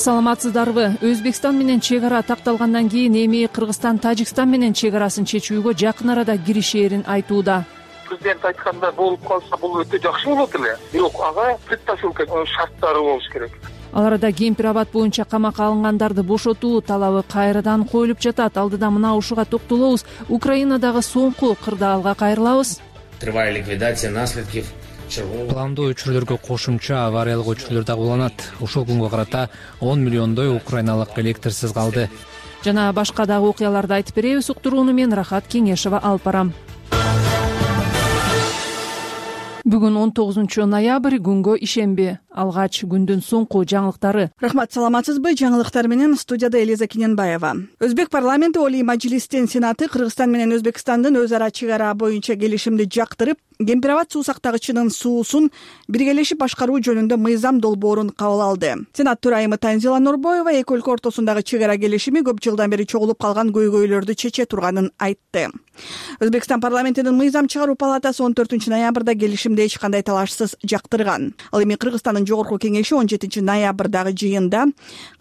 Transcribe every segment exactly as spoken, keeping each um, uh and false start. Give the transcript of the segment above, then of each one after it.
саламатсыздарбы? Өзбекстан менен чек ара такталгандан кийин эми Кыргызстан Тажикстан менен чек арасын чечүүгө жакын арада киришээрин айтууда. Президент айтканда болуп калса бул өтө жакшы болот эле. Бирок ага предпосылка шарттары болуш керек. Ал арада кемпир абад боюнча камакка алынгандарды бошотуу талабы кайрадан коюлуп жатат. Алдыда мына ушуга токтолобуз. Украинадагы соңку кырдаалга кайрылабыз. Тревая ликвидация наследков. Пландоо өчүрлөргө кошумча авариялык өчүрлөр дагы уланат. Ушул күнгө карата он миллиондой украиналык электрсиз калды. Жана башка дагы окуяларды айтып беребиз. Уктурууну мен Рахат Кеңешова алып барам. Бүгүн он тогузунчу ноябрь, күнгө ишемби. Алгач күндүн соңку жаңылыктары. Рахмат, саламатсызбы? Жаңылыктар менен студияда Элиза Кененбаева. Өзбек парламенти Олий Мажлистин Сенаты Кыргызстан менен Өзбекстандын өз ара чек ара боюнча келишимди жактырып, кемпир абад суу сактагычынын суусун биргелешип башкаруу жөнүндө мыйзам долбоорун кабыл алды. Сенат төрайымы Танзила Нурбоева эки өлкө ортосундагы чек ара келишими көп жылдан бери чогулуп калган көйгөйлөрдү чече турганын айтты. Өзбекстан парламентинин мыйзам чыгаруу палатасы он төртүнчү ноябрда келишимди эч кандай талашсыз жактырган. Ал эми Кыргызстандын жогорку кеңеши он жетинчи ноябрдагы жыйында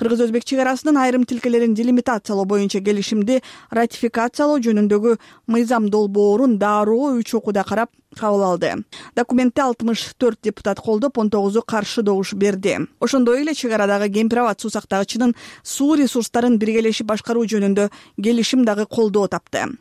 кыргыз-өзбек чек арасынын айрым тилкелерин делимитациялоо боюнча келишимди ратификациялоо жөнүндөгү мыйзам долбоорун дароо үч окууда карап кабыл алды. Документти алтымыш төрт депутат колдоп, он тогузу каршы добуш берди. Ошондой эле чек арадагы кемпир абад суу сактагычынын суу ресурстарын биргелешип башкаруу жөнүндө келишим дагы колдоо тапты.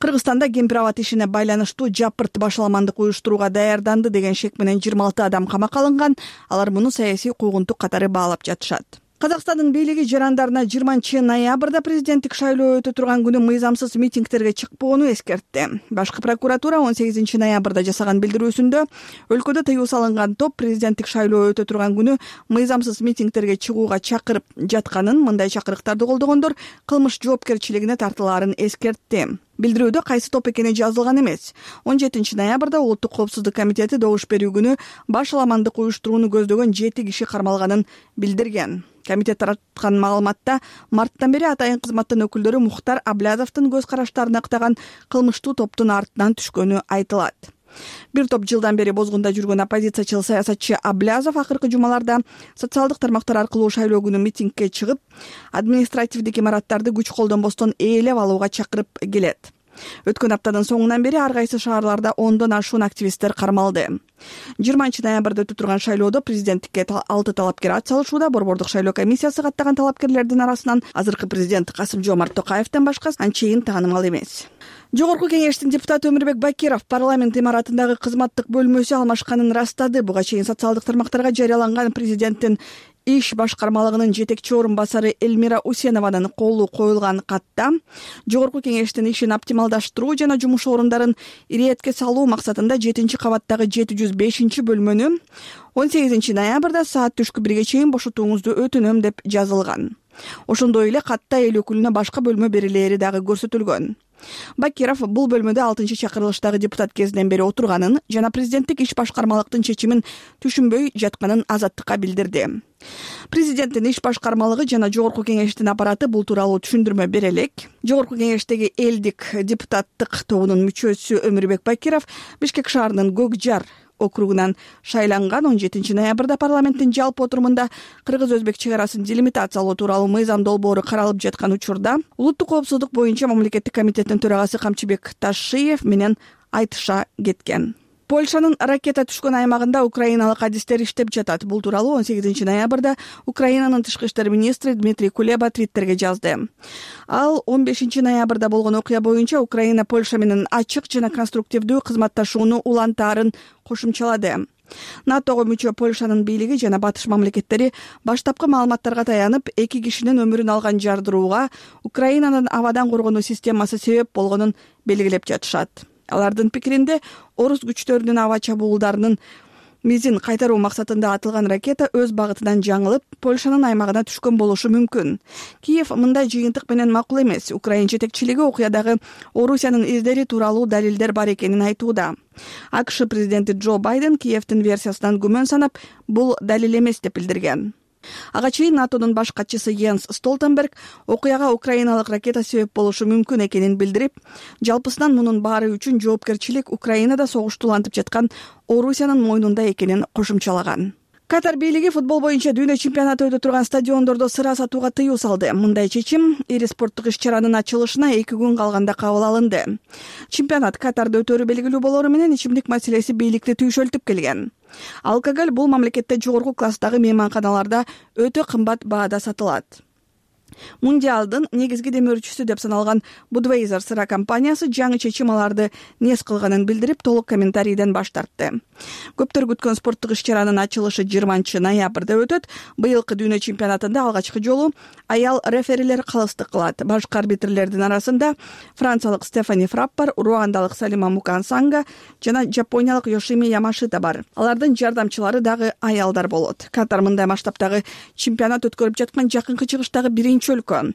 Кыргызстанда кемпир абад ишине байланыштуу жапырт башаламандык уюштурууга даярданды деген шек менен жыйырма алты адам камакка алынган. Алар муну саясий куугунтук катары баалап жатышат. Казакстандын бийлиги жарандарына жыйырманчы ноябрда президенттик шайлоо өтө турган күнү мыйзамсыз митингтерге чыкпоону эскертти. Башкы прокуратура он сегизинчи ноябрда жасаган билдирүүсүндө өлкөдө тыюу салынган топ президенттик шайлоо өтө турган күнү мыйзамсыз митингтерге чыгууга чакырып жатканын, мындай чакырыктарды колдогондор кылмыш жоопкерчилигине тартылаарын эскертти. Билдирүүдө кайсы топ экени жазылган эмес. он жетинчи ноябрда Улуттук коопсуздук комитети добуш берүү күнү башаламандык уюштурууну көздөгөн жети киши кармалганын билдирген. Комитет тараткан маалыматта марттан бери атайын кызматтын өкүлдөрү Мухтар Аблязовдун көз караштарын актаган кылмыштуу топтун артынан түшкөнү айтылат. Бир топ жылдан бери бозгунда жүргөн оппозициячыл саясатчы Аблязов акыркы жумаларда социалдык тармактар аркылуу шайлоо күнү митингке чыгып, административдик имараттарды күч колдонбостон ээлеп алууга чакырып келет. Өткөн аптанын соңунан бери ар кайсы шаарларда ондон ашуун активисттер кармалды. жыйырманчы ноябрда өтө турган шайлоодо президенттикке алты талапкер ат салышууда. Борбордук шайлоо комиссиясы каттаган талапкерлердин арасынан азыркы президент Касым-Жомарт Токаевден башка анчейин таанымал эмес. Жогорку кеңештин депутаты Өмүрбек Бакиров парламент имаратындагы кызматтык бөлмөсү алмашканын растады. Буга чейин социалдык тармактарга жарыяланган президенттин иш башкармалыгынын жетекчи орун басары Эльмира Усенованын колу коюлган катта жогорку кеңештин ишин оптималдаштыруу жана жумуш орундарын иретке салуу максатында жетинчи кабаттагы жети жүз бешинчи бөлмөнү он сегизинчи ноябрда саат түшкү бирге чейин бошотууңузду өтүнөм деп жазылган. Ошондой эле катта эл өкүлүнө башка бөлмө берилери дагы көрсөтүлгөн. Бакиров бул бөлмөдө алтынчы чакырылыштагы депутат кезинен бери отурганын жана президенттик иш башкармалыктын чечимин түшүнбөй жатканын Азаттыкка билдирди. Президенттин иш башкармалыгы жана жогорку кеңештин аппараты бул тууралуу түшүндүрмө бере элек. Жогорку кеңештеги элдик депутаттык тобунун мүчөсү Өмүрбек Бакиров Бишкек шаарынын Көк Жар округунан шайланган. он жетинчи ноябрда парламенттин жалпы отурумунда кыргыз-өзбек чек арасын делимитациялоо тууралуу мыйзам долбоору каралып жаткан учурда улуттук коопсуздук боюнча мамлекеттик комитеттин төрагасы Камчыбек Ташиев менен айтыша кеткен. Польшанын ракета түшкөн аймагында украиналык адистер иштеп жатат. Бул тууралуу он сегизинчи ноябрда Украинанын тышкы иштер министри Дмитрий Кулеба твиттерге жазды. Ал он бешинчи ноябрда болгон окуя боюнча Украина Польша менен ачык жана конструктивдүү кызматташууну улантаарын кошумчалады. НАТОго мүчө Польшанын бийлиги жана батыш мамлекеттери баштапкы маалыматтарга таянып, эки кишинин өмүрүн алган жардырууга Украинанын абадан коргонуу системасы себеп болгонун белгилеп жатышат. Алардын пикиринде орус күчтөрүнүн аба чабуулдарынын мизин кайтаруу максатында атылган ракета өз багытынан жаңылып, Польшанын аймагына түшкөн болушу мүмкүн. Киев мындай жыйынтык менен макул эмес. Украин жетекчилиги окуядагы Орусиянын издери тууралуу далилдер бар экенин айтууда. АКШ президенти Джо Байден Киевдин версиясынан күмөн санап, бул далил эмес деп билдирген. Ага чейин НАТОнун баш катчысы Йенс Столтенберг окуяга украиналык ракета себеп болушу мүмкүн экенин билдирип, жалпысынан мунун баары үчүн жоопкерчилик Украинада согушту улантып жаткан Орусиянын мойнунда экенин кошумчалаган. Катар бийлиги футбол боюнча дүйнө чемпионаты өтө турган стадиондордо сыра сатууга тыюу салды. Мындай чечим ири спорттук иш-чаранын ачылышына эки күн калганда кабыл алынды. Чемпионат Катарда өтөрү белгилүү болору менен ичимдик маселеси бийликти түйшөлтүп келген. Алкоголь бул мамлекетте жогорку класстагы мейманканаларда өтө кымбат баада сатылат. Мундиалдын негизги демөөрчүсү деп саналган Budweiser сыра компаниясы жаңы чечим аларды нес кылганын билдирип, толук комментарийден баш тартты. Көптөр күткөн спорттук иш-чаранын ачылышы жыйырманчы ноябрда өтөт. Быйылкы дүйнө чемпионатында алгачкы жолу аял реферилер калыстык кылат. Башкы арбитрлердин арасында франциялык Стефани Фраппар, руандалык Салима Мукансанга жана жапониялык Йошими Ямашита бар. Алардын жардамчылары дагы аялдар болот. Катар мындай масштабтагы чемпионат өткөрүп жаткан жакынкы чыгыштагы биринчи өлкө.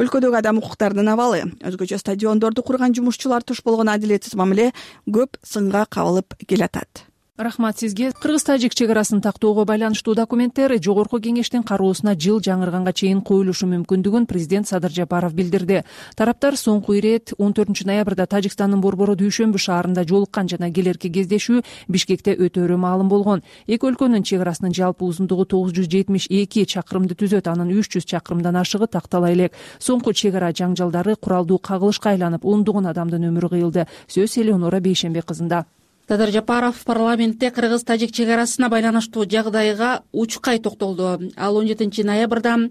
Өлкөдөгү адам укуктарынын абалы, өзгөчө стадиондорду курган жумушчулар туш болгон адилетсиз мамиле көп сынга кабылып келатат. Рахмат сизге. Кыргыз-тажик чек арасын тактоого байланыштуу документтер жогорку кеңештин кароосуна жыл жаңырганга чейин коюлушу мүмкүндүгүн президент Садыр Жапаров билдирди. Тараптар соңку ирет он төртүнчү ноябрда Тажикстандын Борбору Дүйшөмбү шаарында жолуккан жана келерки кездешүү Бишкекте өтөөрү маалым болгон. Эки өлкөнүн чек арасынын жалпы узундугу тогуз жүз жетимиш эки чакырымды түзөт, анын үч жүз чакырымдан ашыгы тактала элек. Соңку чек ара жаңжалдары куралдуу кагылышка айланып, ондогон адамдын өмүрү кыйылды. Сөз Элеонора Бейшембек кызында. Садыр Жапаров парламентте кыргыз-тажик чек арасына байланыштуу жагдайга учкай токтолду. Ал он жетинчи ноябрда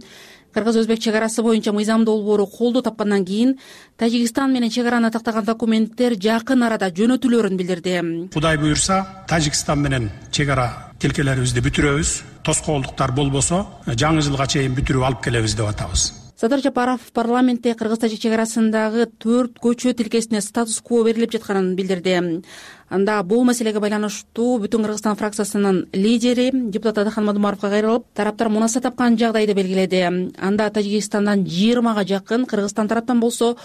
кыргыз-өзбек чек арасы боюнча мыйзам долбоору колдоо тапкандан кийин Тажикстан менен чек араны тактаган документтер жакын арада жөнөтүлөөрүн билдирди. Кудай буюрса, Тажикстан менен чек ара тилкелерибизди бүтүрөбүз. Тоскоолдуктар болбосо, жаңы жылга чейин бүтүрүп алып келебиз деп атабыз. Садыр Жапаров парламентте кыргыз-тажик чек арасындагы төрт көчө тилкесине статус-кво берилип жатканын билдирди. Анда бул маселеге байланыштуу Бүтүн Кыргызстан фракциясынын лидери депутат Адахан Мадумаровго кайрылып, тараптар мунаса тапкан жагдайды белгиледи. Анда Тажикстандан жыйырмага жакын, Кыргызстан тараптан болсо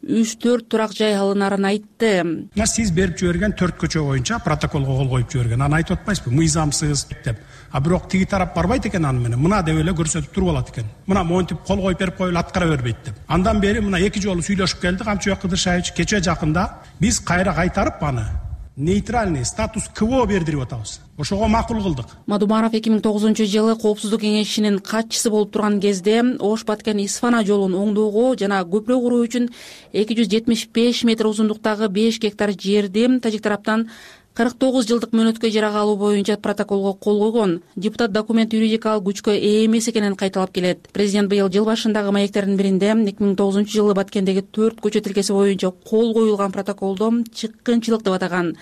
үч төрт турак жай алынарын айтты. Мына сиз берип жиберген төрт көчө боюнча протоколго кол коюп жиберген. Аны айтып атпайсызбы? Мыйзамсыз деп. А бирок тиги тарап барбайт экен аны менен. Мына деп эле көрсөтүп туруп алат экен. Мына монтип кол коюп берип коюлуп аткара бербейт деп. Андан бери мына эки жолу сүйлөшүп келдик. Камчыбек Кыдыршаевич кече жакында биз кайра кайтарып аны нейтральный статус-кво бердирип атабыз. Ошого макул кылдык. Мадумаров эки миң тогузунчу жылы Коопсуздук кеңешинин катчысы болуп турган кезде Ош Баткен Исфана жолун оңдоого жана көпүрө куруу үчүн эки жүз жетимиш беш метр узундуктагы беш гектар жерди тажик тараптан кырк тогуз жылдык мөөнөткө ижарага алуу боюнча протоколго кол койгон. Депутат документ юридикалык күчкө ээ эмес экенин кайталап келет. Президент быйыл жыл башындагы маектердин биринде эки миң тогузунчу жылы Баткендеги төрт көчө тилкеси боюнча кол коюлган протоколдо чыккынчылык деп атаган.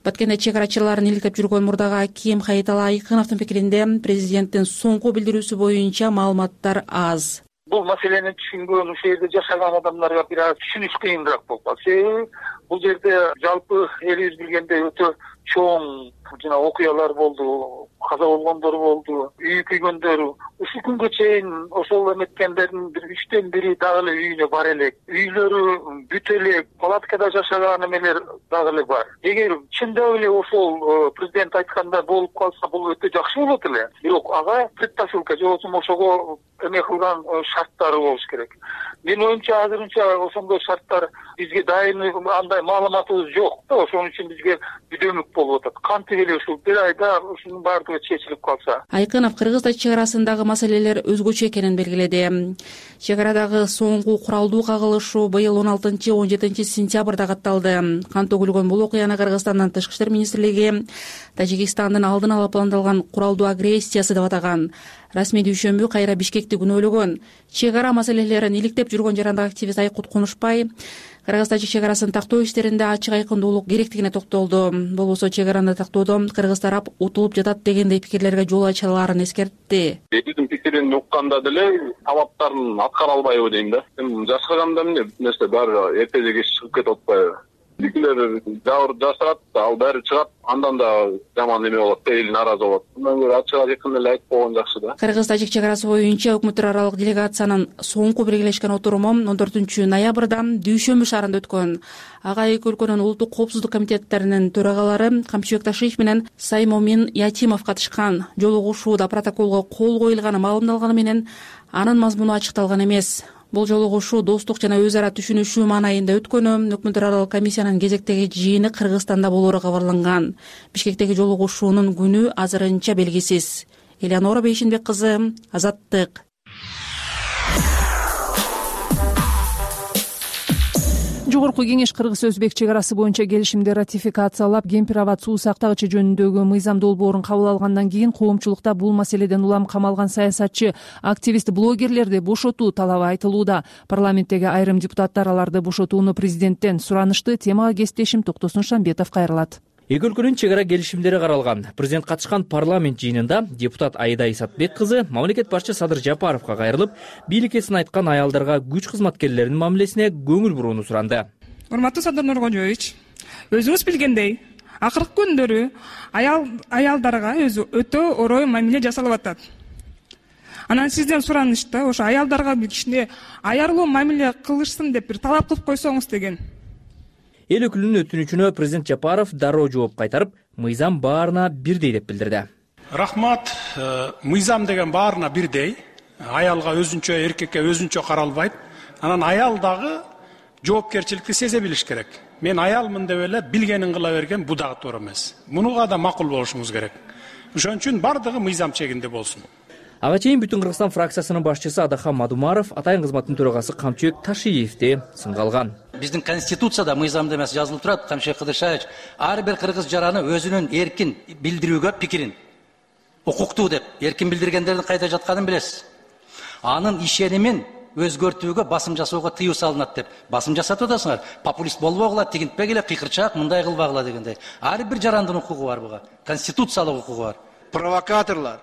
Баткенде чек арачыларын иликтеп жүргөн мурдагы аким Хаитала Айкыновдун пикиринде президенттин соңку билдирүүсү боюнча маалыматтар аз. Бул маселени түшүнгөн, ушул жерде жашаган адамдарга бир аз түшүнүш кыйыныраак болуп калат. Себеби бул жерде жалпы элибиз билгендей өтө чоң жана окуялар болду, каза болгондор болду, үй күйгөндөр. Ушул күнгө чейин ошол эметкендердин бир үчтөн бири дагы эле үйүнө бар элек. Үйлөрү бүт элек, палаткада жашаган эмелер дагы эле бар. Эгер чындап эле ошол президент айткандай болуп калса, бул өтө жакшы болот эле. Бирок ага предпосылка же болбосо ошого эме кылган шарттары болуш керек. Менин оюмча азырынча ошондой шарттар бизге дайым андай маалыматыбыз жок да, ошон үчүн бизге бүдөмүк болуп атат. Кантип эле ушул бир айда ушунун баардыгы чечилип калса. Айкынов кыргыз-тажик чек арасындагы маселелер өзгөчө экенин белгиледи. Чек арадагы соңку куралдуу кагылышуу быйыл он алтынчы он жетинчи сентябрда катталды. Кан төгүлгөн бул окуяны Кыргызстандын Тышкы иштер министрлиги Тажикстандын алдын ала пландалган куралдуу агрессиясы деп атаган. Расмий Дүйшөмбү кайра Бишкекти күнөөлөгөн. Чек ара маселелерин иликтеп жүргөн жарандык активист Айкут Кунушбай Кыргыз-тажик чек арасын тактоо иштеринде ачык айкындуулук керектигине токтолду. Болбосо чек араны тактоодо кыргыз тарап утулуп жатат дегендей пикирлерге жол ачылаарын эскертти. Биздин пикирин укканда деле талаптарын аткара албайбы дейм да. Эми жашаганда эмне нерсе баары эртеже кеч чыгып кетип атпайбы. Бикилер жабыр жасырат, ал баары чыгат, андан да жаман эме болот, эл нааразы болот. Мындан көрө ачык айкын эле айтып койгон жакшы да. Кыргыз-тажик чек арасы боюнча өкмөттөр аралык делегациянын соңку биргелешкен отуруму он төртүнчү ноябрда Дүйшөмбү шаарында өткөн. Ага эки өлкөнүн улуттук коопсуздук комитеттеринин төрагалары Камчыбек Ташиев менен Саймомин Ятимов катышкан. Жолугушууда протоколго кол коюлганы маалымдалганы менен анын мазмуну ачыкталган эмес. Бул жолу кошуу достук жана өз ара түшүнүшүү маанайында өткөнү. Өкмөттөр аралык комиссиянын кезектеги жыйыны Кыргызстанда болоору кабарланган. Бишкектеги жолугушуунун күнү азырынча белгисиз. Элеонора Бейшенбек кызы, Азаттык. Жогорку кеңеш кыргыз-өзбек чек арасы боюнча келишимди ратификациялап, кемпир-абад суу сактагычы жөнүндөгү мыйзам долбоорун кабыл алгандан кийин коомчулукта бул маселеден улам камалган саясатчы, активист, блогерлерди бошотуу талабы айтылууда. Парламенттеги айрым депутаттар аларды бошотууну президенттен суранышты. Темага кесиптешим Токтосун Шамбетов кайрылат. Эки өлкөнүн чек ара келишимдери каралган. Президент катышкан парламент жыйынында депутат Айда Исатбек кызы мамлекет башчы Садыр Жапаровго кайрылып, бийликесин айткан аялдарга күч кызматкерлеринин мамилесине көңүл бурууну суранды. Урматтуу Садыр Нуркожоевич, өзүңүз билгендей, акыркы күндөрү аял аялдарга өзү өтө орой мамиле жасалып атат. Анан сизден суранышта ошо аялдарга бир кичине аярлуу мамиле кылышсын деп бир талап кылып койсоңуз деген. Эл өкүлүнүн өтүнүчүнө президент Жапаров дароо жооп кайтарып, мыйзам баарына бирдей деп билдирди. Рахмат. Мыйзам деген баарына бирдей. Аялга өзүнчө, эркекке өзүнчө каралбайт. Анан аял дагы жоопкерчиликти сезе билиш керек. Мен аялмын деп эле билгенин кыла берген бу дагы туура эмес. Мунуга да макул болушуңуз керек. Ошон үчүн бардыгы мыйзам чегинде болсун. Ага чейин Бүтүн Кыргызстан фракциясынын башчысы Адахан Мадумаров атайын кызматтын төрагасы Камчыбек Ташиевди сынга алган. Биздин конституцияда мыйзамда эмес жазылып турат, Камчыбек Кыдыршаевич, ар бир кыргыз жараны өзүнүн эркин билдирүүгө пикирин укуктуу деп, эркин билдиргендердин кайда жатканын билесиз. Анын ишенимин өзгөртүүгө басым жасоого тыюу салынат деп басым жасатып атасыңар. Популист болбогула, тигинтпегиле, кыйкырчаак, мындай кылбагыла дегендей. Ар бир жарандын укугу бар буга, конституциялык укугу бар. Провокаторлор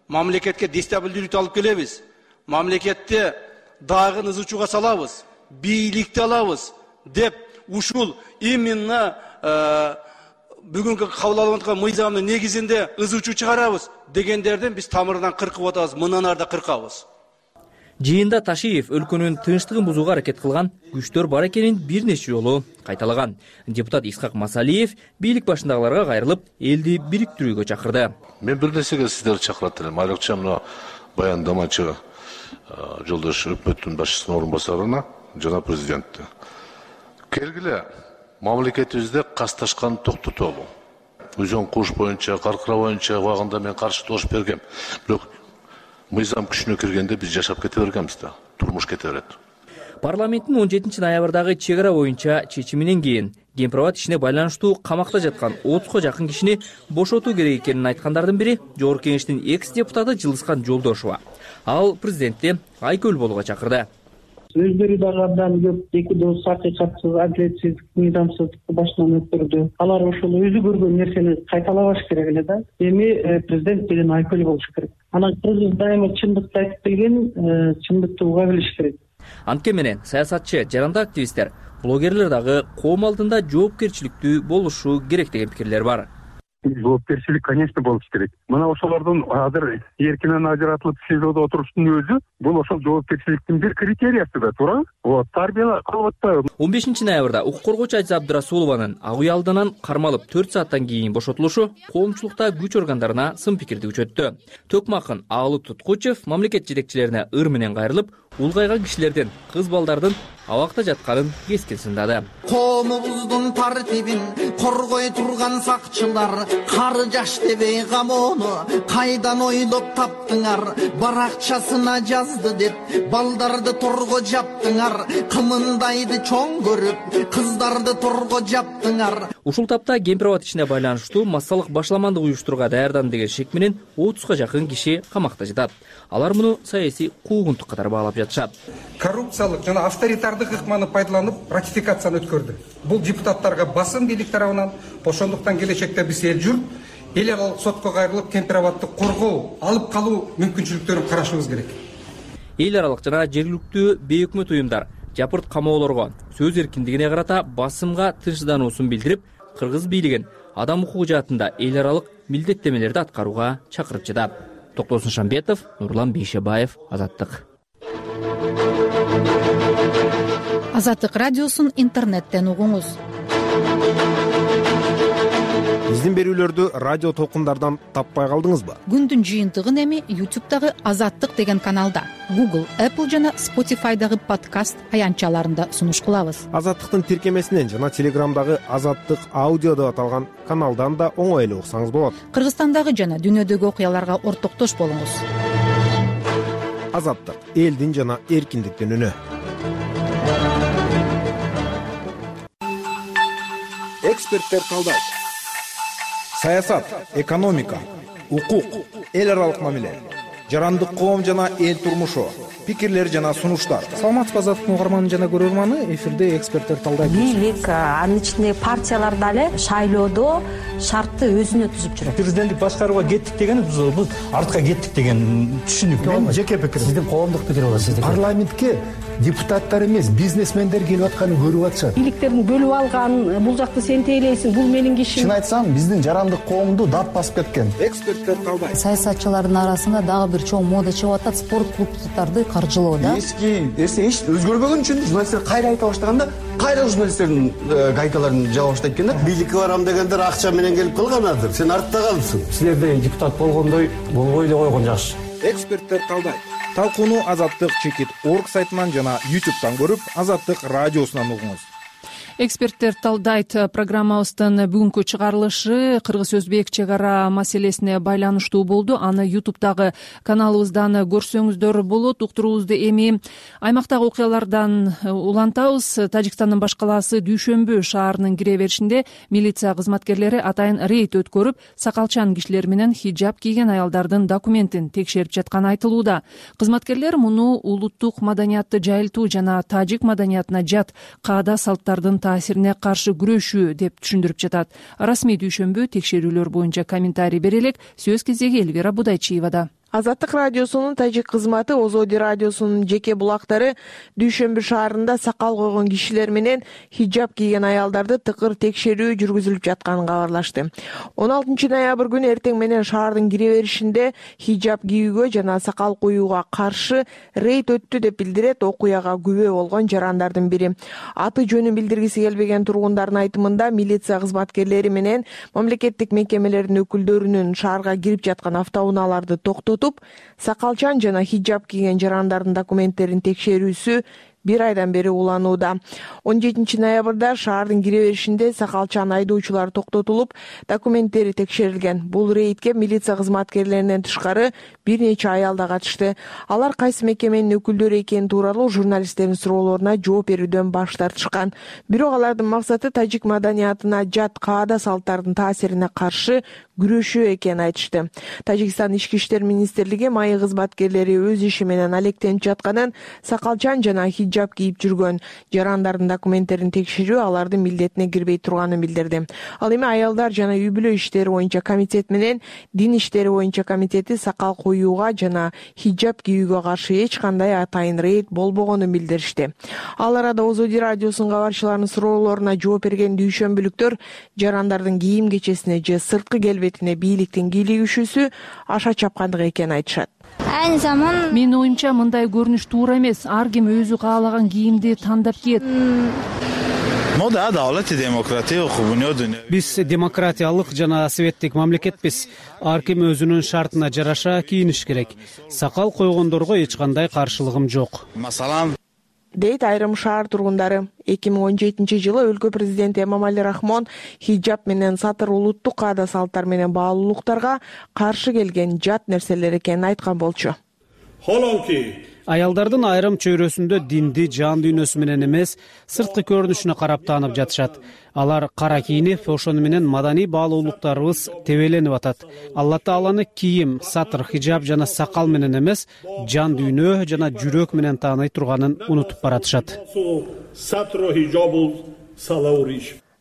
мамлекетке дестабилдүүлүктү алып келебиз. Мамлекетти дагы ызычууга салабыз, бийликти алабыз деп ушул именно бүгүнкү кабыл алып аткан мыйзамдын негизинде ызычуу чыгарабыз дегендерден биз тамырынан кыркып атабыз, мындан ары да кыркабыз. Жыйында Ташиев өлкөнүн тынчтыгын бузууга аракет кылган күчтөр бар экенин бир нече жолу кайталаган. Депутат Исхак Масалиев бийлик башындагыларга кайрылып, элди бириктирүүгө чакырды. Мен бир нерсеге сиздерди чакырат элем. Айрыкча мына баяндамачы жолдош өкмөттүн башчысынын орун басарына жана президентти. Келгиле мамлекетибизде касташкан токтотолу. Өзөн куш боюнча, каркыра боюнча убагында мен каршы добуш бергем. Бирок мыйзам күчүнө киргенде биз жашап кете бергенбиз да, турмуш кете берет. Парламенттин он жетинчи ноябрдагы чек ара боюнча чечиминен кийин кемпир-абад ишине байланыштуу камакта жаткан отузга жакын кишини бошотуу керек экенин айткандардын бири Жогорку кеңештин экс депутаты Жылыскан Жолдошова. Ал президентти айкөл болууга чакырды. Өздөрү дагы абдан көп эки дос акыйкатсыз, адилетсиз, мыйзамсыздыкты башынан өткөрдү. Алар ошол өзү көргөн нерсени кайталабаш керек эле да. Эми президент деген айкөл болуш керек. Анан кыргыз дайыма чындыкты айтып келген, чындыкты уга билиш керек. Антке менен саясатчы, жарандык активисттер, блогерлер дагы коом алдында жоопкерчиликтүү болушу керек деген пикирлер бар. Жоопкерчилик, конечно, болуш керек. Мына ошолордун азыр эркинен ажыратылып СИЗОдо отуруштун өзү бул ошол жоопкерчиликтин бир критериясы да, туура? Вот, тарбия кылып атпайбы? он бешинчи ноябрда укук коргоочу Ажиза Абдырасулованын ак үй алдынан кармалып төрт сааттан кийин бошотулушу коомчулукта күч органдарына сын пикирди күчөттү. Төкмакын Аалы Туткучев мамлекет жетекчилерине ыр менен кайрылып, улгайган кишилердин, кыз балдардын абакта жатканын кескин сындады. Коомубуздун тартибин коргой турган сакчылар, кары жаш дебей камоону кайдан ойлоп таптыңар? Баракчасына жазды деп балдарды торго жаптыңар, кымындайды чоң көрүп кыздарды торго жаптыңар. Ушул тапта кемпир-абад ишине байланыштуу массалык башламандык уюштурууга даярданды деген шек менен отузга жакын киши камакта жатат. Алар муну саясий куугунтук катары баалап жатышат. Коррупциялык жана авторитардык ыкманы пайдаланып ратификацияны өткөрдү. Бул депутаттарга басым бийлик тарабынан, ошондуктан келечекте биз эл журт эл аралык сотко кайрылып кемпир-абадты коргоо, алып калуу мүмкүнчүлүктөрүн карашыбыз керек. Эл аралык жана жергиликтүү бейөкмөт уюмдар жапырт камоолорго, сөз эркиндигине карата басымга тынчсыздануусун билдирип, кыргыз бийлигин адам укугу жаатында эл аралык милдеттемелерди аткарууга чакырып жатат. Токтосун Шамбетов, Нурлан Бейшебаев, Азаттык. Азаттык радиосун интернеттен угуңуз. биздин берүүлөрдү радио толкундардан таппай калдыңызбы? Күндүн жыйынтыгын эми ютубтагы Азаттык деген каналда, Google, Apple жана Spotify'дагы подкаст аянтчаларында сунуш кылабыз. Азаттыктын тиркемесинен жана Телеграмдагы Азаттык аудио деп аталган каналдан да оңой эле уксаңыз болот. Кыргызстандагы жана дүйнөдөгү окуяларга ортоктош болуңуз. Азаттык — элдин жана эркиндиктин үнү. Эксперттер талдайт. Саясат, экономика, укук, эл аралык мамиле, жарандык коом жана эл турмушу, пикирлер жана сунуштар. Саламатсызбы Азаттыктын угарманы жана көрөрманы, эфирде эксперттер талдайт. Бийлик, анын ичинде партиялар дагы шайлоодо шартты өзүнө түзүп жүрөт. Президенттик башкарууга кеттик деген биз артка кеттик деген түшүнүк. Мен жеке пикирим. Сиздин коомдук пикир болот. Сиздин парламентке депутаттар эмес, бизнесмендер келип атканын көрүп атышат. Бийликтерин бөлүп алган, бул жакты сен тейлейсиң, бул менин кишим. Чын айтсам, биздин жарандык коомду дат басып кеткен. Эксперттер талдайт. Саясатчылардын арасында дагы бир чоң мода чыгып атат, спорт клубдарды каржылоо да. Эски эсе эч өзгөрбөгөн үчүн журналисттер кайра айта баштаганда, кайра журналисттердин гайкаларын жаба баштайт экен да. Бийликке барам дегендер акча менен келип калганадыр. Сен артта калыпсың. Силерде депутат болгондой болбой эле койгон жакшы. Эксперттер талдайт. Талкууну Азаттык чекит орг сайтынан жана ютубтан көрүп, Азаттык радиосунан угуңуз. Эксперттер талдайт программабыздын бүгүнкү чыгарылышы кыргыз-өзбек чек ара маселесине байланыштуу болду. Аны ютубтагы каналыбыздан көрсөңүздөр болот. Уктуруубузду эми аймактагы окуялардан улантабыз. Тажикстандын баш калаасы Дүйшөмбү шаарынын кире беришинде милиция кызматкерлери атайын рейд өткөрүп, сакалчан кишилер менен хиджаб кийген аялдардын документин текшерип жатканы айтылууда. Кызматкерлер муну улуттук маданиятты жайылтуу жана тажик маданиятына жат каада салттардын таасирине каршы күрөшүү деп түшүндүрүп жатат. Расмий Дүйшөмбү текшерүүлөр боюнча комментарий бере элек. Сөз кезеги Элвира Будайчиевада. Азаттык радиосунун тажик кызматы Озоди радиосунун жеке булактары Дүйшөмбү шаарында сакал койгон кишилер менен хиджаб кийген аялдарды тыкыр текшерүү жүргүзүлүп жатканын кабарлашты. он алтынчы ноябрь күнү эртең менен шаардын кире беришинде хиджаб кийүүгө жана сакал коюуга каршы рейд өттү деп билдирет окуяга күбө болгон жарандардын бири. Аты жөнүн билдиргиси келбеген тургундардын айтымында милиция кызматкерлери менен мамлекеттик мекемелердин өкүлдөрүнүн шаарга кирип жаткан автоунааларды токтотуп, сакалчан жана хиджаб кийген жарандардын документтерин текшерүүсү бир айдан бери уланууда. он жетинчи ноябрда шаардын кире беришинде сакалчан айдоочулар токтотулуп, документтери текшерилген. Бул рейдке милиция кызматкерлеринен тышкары бир нече аял да катышты. Алар кайсы мекеменин өкүлдөрү экени тууралуу журналисттердин суроолоруна жооп берүүдөн баш тартышкан. Бирок алардын максаты тажик маданиятына жат каада салттардын таасирине каршы күрөшүү экенин айтышты. Тажикстан ички иштер министрлиги майы кызматкерлери өз иши менен алектенип жатканын, сакалчан жана хиджаб кийип жүргөн жарандардын документтерин текшерүү алардын милдетине кирбей турганын билдирди. Ал эми аялдар жана үй бүлө иштери боюнча комитет менен дин иштери боюнча комитети сакал коюуга жана хиджаб кийүүгө каршы эч кандай атайын рейд болбогонун билдиришти. Ал арада Озоди радиосунун кабарчыларынын суроолоруна жооп берген дүйшөмбүлүктөр жарандардын кийим кечесине же сырткы келбетине бийликтин кийлигишүүсү аша чапкандык экенин айтышат. Айны заман Менин оюмча мындай көрүнүш туура эмес. Ар ким өзү каалаган кийимди тандап кийет. Биз демократиялык жана светтик мамлекетпиз. Ар ким өзүнүн шартына жараша кийиниш керек. Сакал койгондорго эч кандай каршылыгым жок. Дейт айрым шаар тургундары. эки миң он жетинчи жылы өлкө президенти Эмомали Рахмон хиджаб менен сатыр улуттук каада салттар менен баалуулуктарга каршы келген жат нерселер экенин айткан болчу. Аялдардын айрым чөйрөсүндө динди жан дүйнөсү менен эмес, сырткы көрүнүшүнө карап таанып жатышат. Алар кара кийинип, ошону менен маданий баалуулуктарыбыз тебеленип атат. Алла Тааланы кийим, сатыр, хиджаб жана сакал менен эмес, жан дүйнө жана жүрөк менен тааный турганын унутуп баратышат.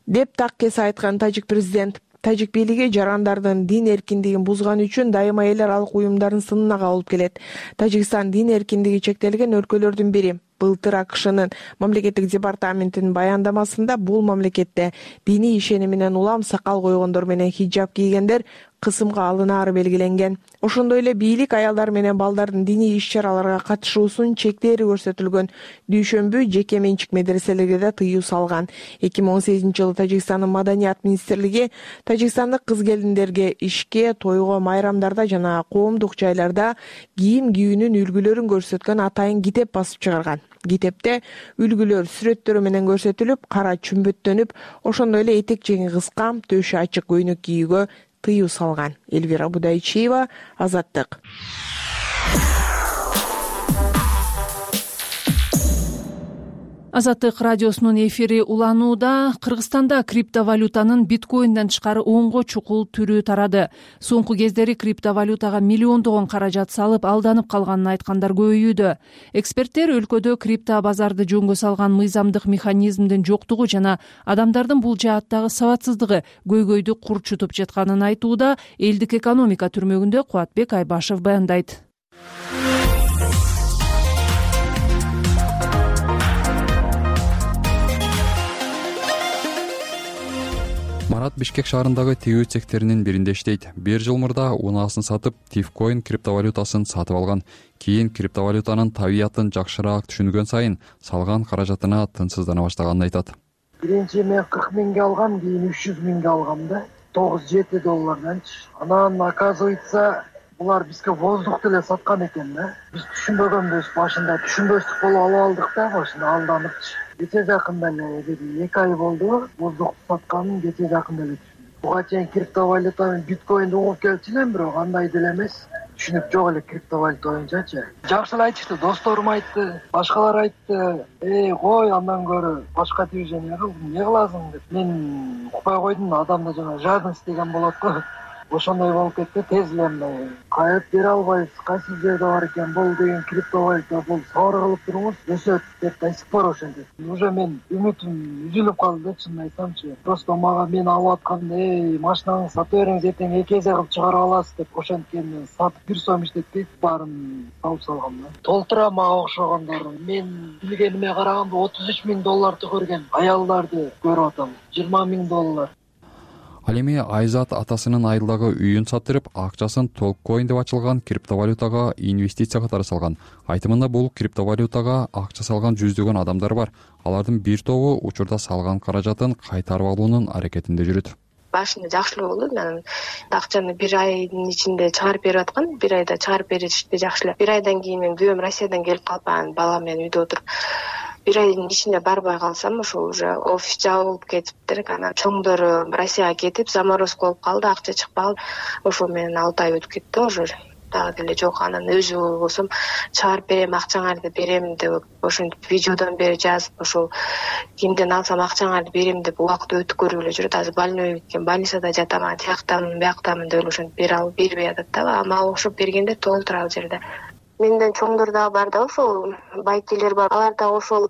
Деп так кесе айткан тажик президент. Тажик бийлиги жарандардын дин эркиндигин бузган үчүн дайыма эл аралык уюмдардын сынына кабылып келет. Тажикстан дин эркиндиги чектелген өлкөлөрдүн бири. Былтыр АКШнын мамлекеттик департаментинин баяндамасында бул мамлекетте диний ишеними менен улам сакал койгондор менен хиджаб кийгендер кысымга алынаары белгиленген. Ошондой эле бийлик аялдар менен балдардын диний иш-чараларга катышуусун чектери көрсөтүлгөн дүйшөмбү жеке менчик медреселерге да тыюу салган. эки миң он сегизинчи жылы Тажикстандын маданият министрлиги тажикстандык кыз-келиндерге ишке, тойго, майрамдарда жана коомдук жайларда кийим кийүүнүн үлгүлөрүн көрсөткөн атайын китеп басып чыгарган. Китепте үлгүлөр сүрөттөрү менен көрсөтүлүп, кара чүмбөттөнүп, ошондой эле этек жеңи кыска, төшү ачык көйнөк кийүүгө тыюу салган. Элвира Будайчиева, Азаттык. Азаттык радиосунун эфири уланууда. Кыргызстанда криптовалютанын биткоинден тышкары онго чукул түрү тарады. Соңку кездери криптовалютага миллиондогон каражат салып алданып калганын айткандар көбөйүүдө. Эксперттер өлкөдө крипто базарды жөнгө салган мыйзамдык механизмдин жоктугу жана адамдардын бул жааттагы сабатсыздыгы көйгөйдү курчутуп жатканын айтууда. Элдик экономика түрмөгүндө Кубатбек Айбашев баяндайт. Марат Бишкек шаарындагы тигүү цехтеринин биринде иштейт. Бир жыл мурда унаасын сатып, Tifcoin криптовалютасын сатып алган. Кийин криптовалютанын табиятын жакшыраак түшүнгөн сайын салган каражатына тынчсыздана баштаганын айтат. Биринчи мен кырк миңге алгам, кийин үч жүз миңге алгам да. тогуз жети долларданчы. Анан оказывается, булар бизге воздух деле саткан экен да. Биз түшүнбөгөнбүз башында, түшүнбөстүк болуп алып алдык да, башында алданыкчы. Кече жакында эле эки ай болду, воздух сатканын кече жакында эле түшүндүм. Буга чейин криптовалютаны, биткоинди угуп келчү элем, бирок андай деле эмес. Түшүнүк жок эле криптовалюта боюнчачы. Жакшы эле айтышты, досторум айтты, башкалар айтты. Эй, кой, андан көрө башка движение кыл, эмне кыласың деп. Мен укпай койдум, адамда жана жадность деген болот го. Ошондой болуп кетти, тез эле мындай кайып бере албайбыз, кайсы жерде бар экен, бул деген криптовалюта, бул сабыр кылып туруңуз, өсөт деп до сих пор ошентет. Уже мен үмүтүм үзүлүп калды, чынын айтсамчы. Просто мага мен алып атканда, эй, машинаңды сатып бериңиз, эртең эки эсе кылып чыгарып аласыз деп ошенткенде сатып бир сом иштетпейт, баарын салып салгам да. Толтура мага окшогондор. Мен билгениме караганда отуз үч миң долларды көргөн аялдарды көрүп атам. жыйырма миң доллар. Ал эми Айзат атасынын айылдагы үйүн сатырып, акчасын Толккоин деп ачылган криптовалютага инвестиция катары салган. Айтымында бул криптовалютага акча салган жүздөгөн адамдар бар. Алардын бир тобу учурда салган каражатын кайтарып алуунун аракетинде жүрөт. Башында жакшы эле болду. Мен акчаны бир айдын ичинде чыгарып берип аткан. Бир айда чыгарып беришти жакшы эле. Бир айдан кийин мен күйөөм Россиядан келип калып, анан балам менен үйдө отуруп бир айдын ичинде барбай калсам, ошо уже офис жабылып кетиптир. Анан чоңдору Россияга кетип, заморозка болуп калды, акча чыкпады. Ошо менен алты ай өтүп кетти уже. Дагы деле жок. Анан өзү болсом чыгарып берем, акчаңарды берем деп ошентип видеодон бери жазып, ошо кимден алсам акчаңарды берем деп убакыт өтүп көрүп эле жүрөт. Азыр больной кеткен, больницада жатам, тияктамын, бияктамын деп ошентип бере алып бербей атат да. Мага окшоп бергенде толтура ал жерде. Менден чоңдор дагы бар да, ошол байкелер бар. Алар дагы ошол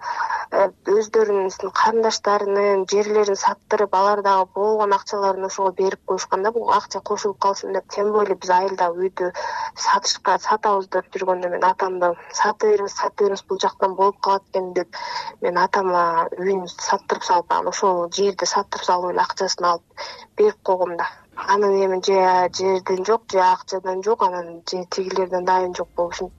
өздөрүнүн карындаштарынын жерлерин саттырып, алар дагы болгон акчаларын ошого берип коюшкан да, бул акча кошулуп калсын деп. Тем более биз айылда үйдү сатышка сатабыз деп жүргөндө мен атамды сатып бериңиз, сатып бериңиз, бул жактан болуп калат экен деп мен атама үйүн саттырып салып, анан ошол жерди саттырып салып эле акчасын алып берип койгом да. Анан эми же жерден жок, же акчадан жок, анан же тигилерден дайын жок болушун.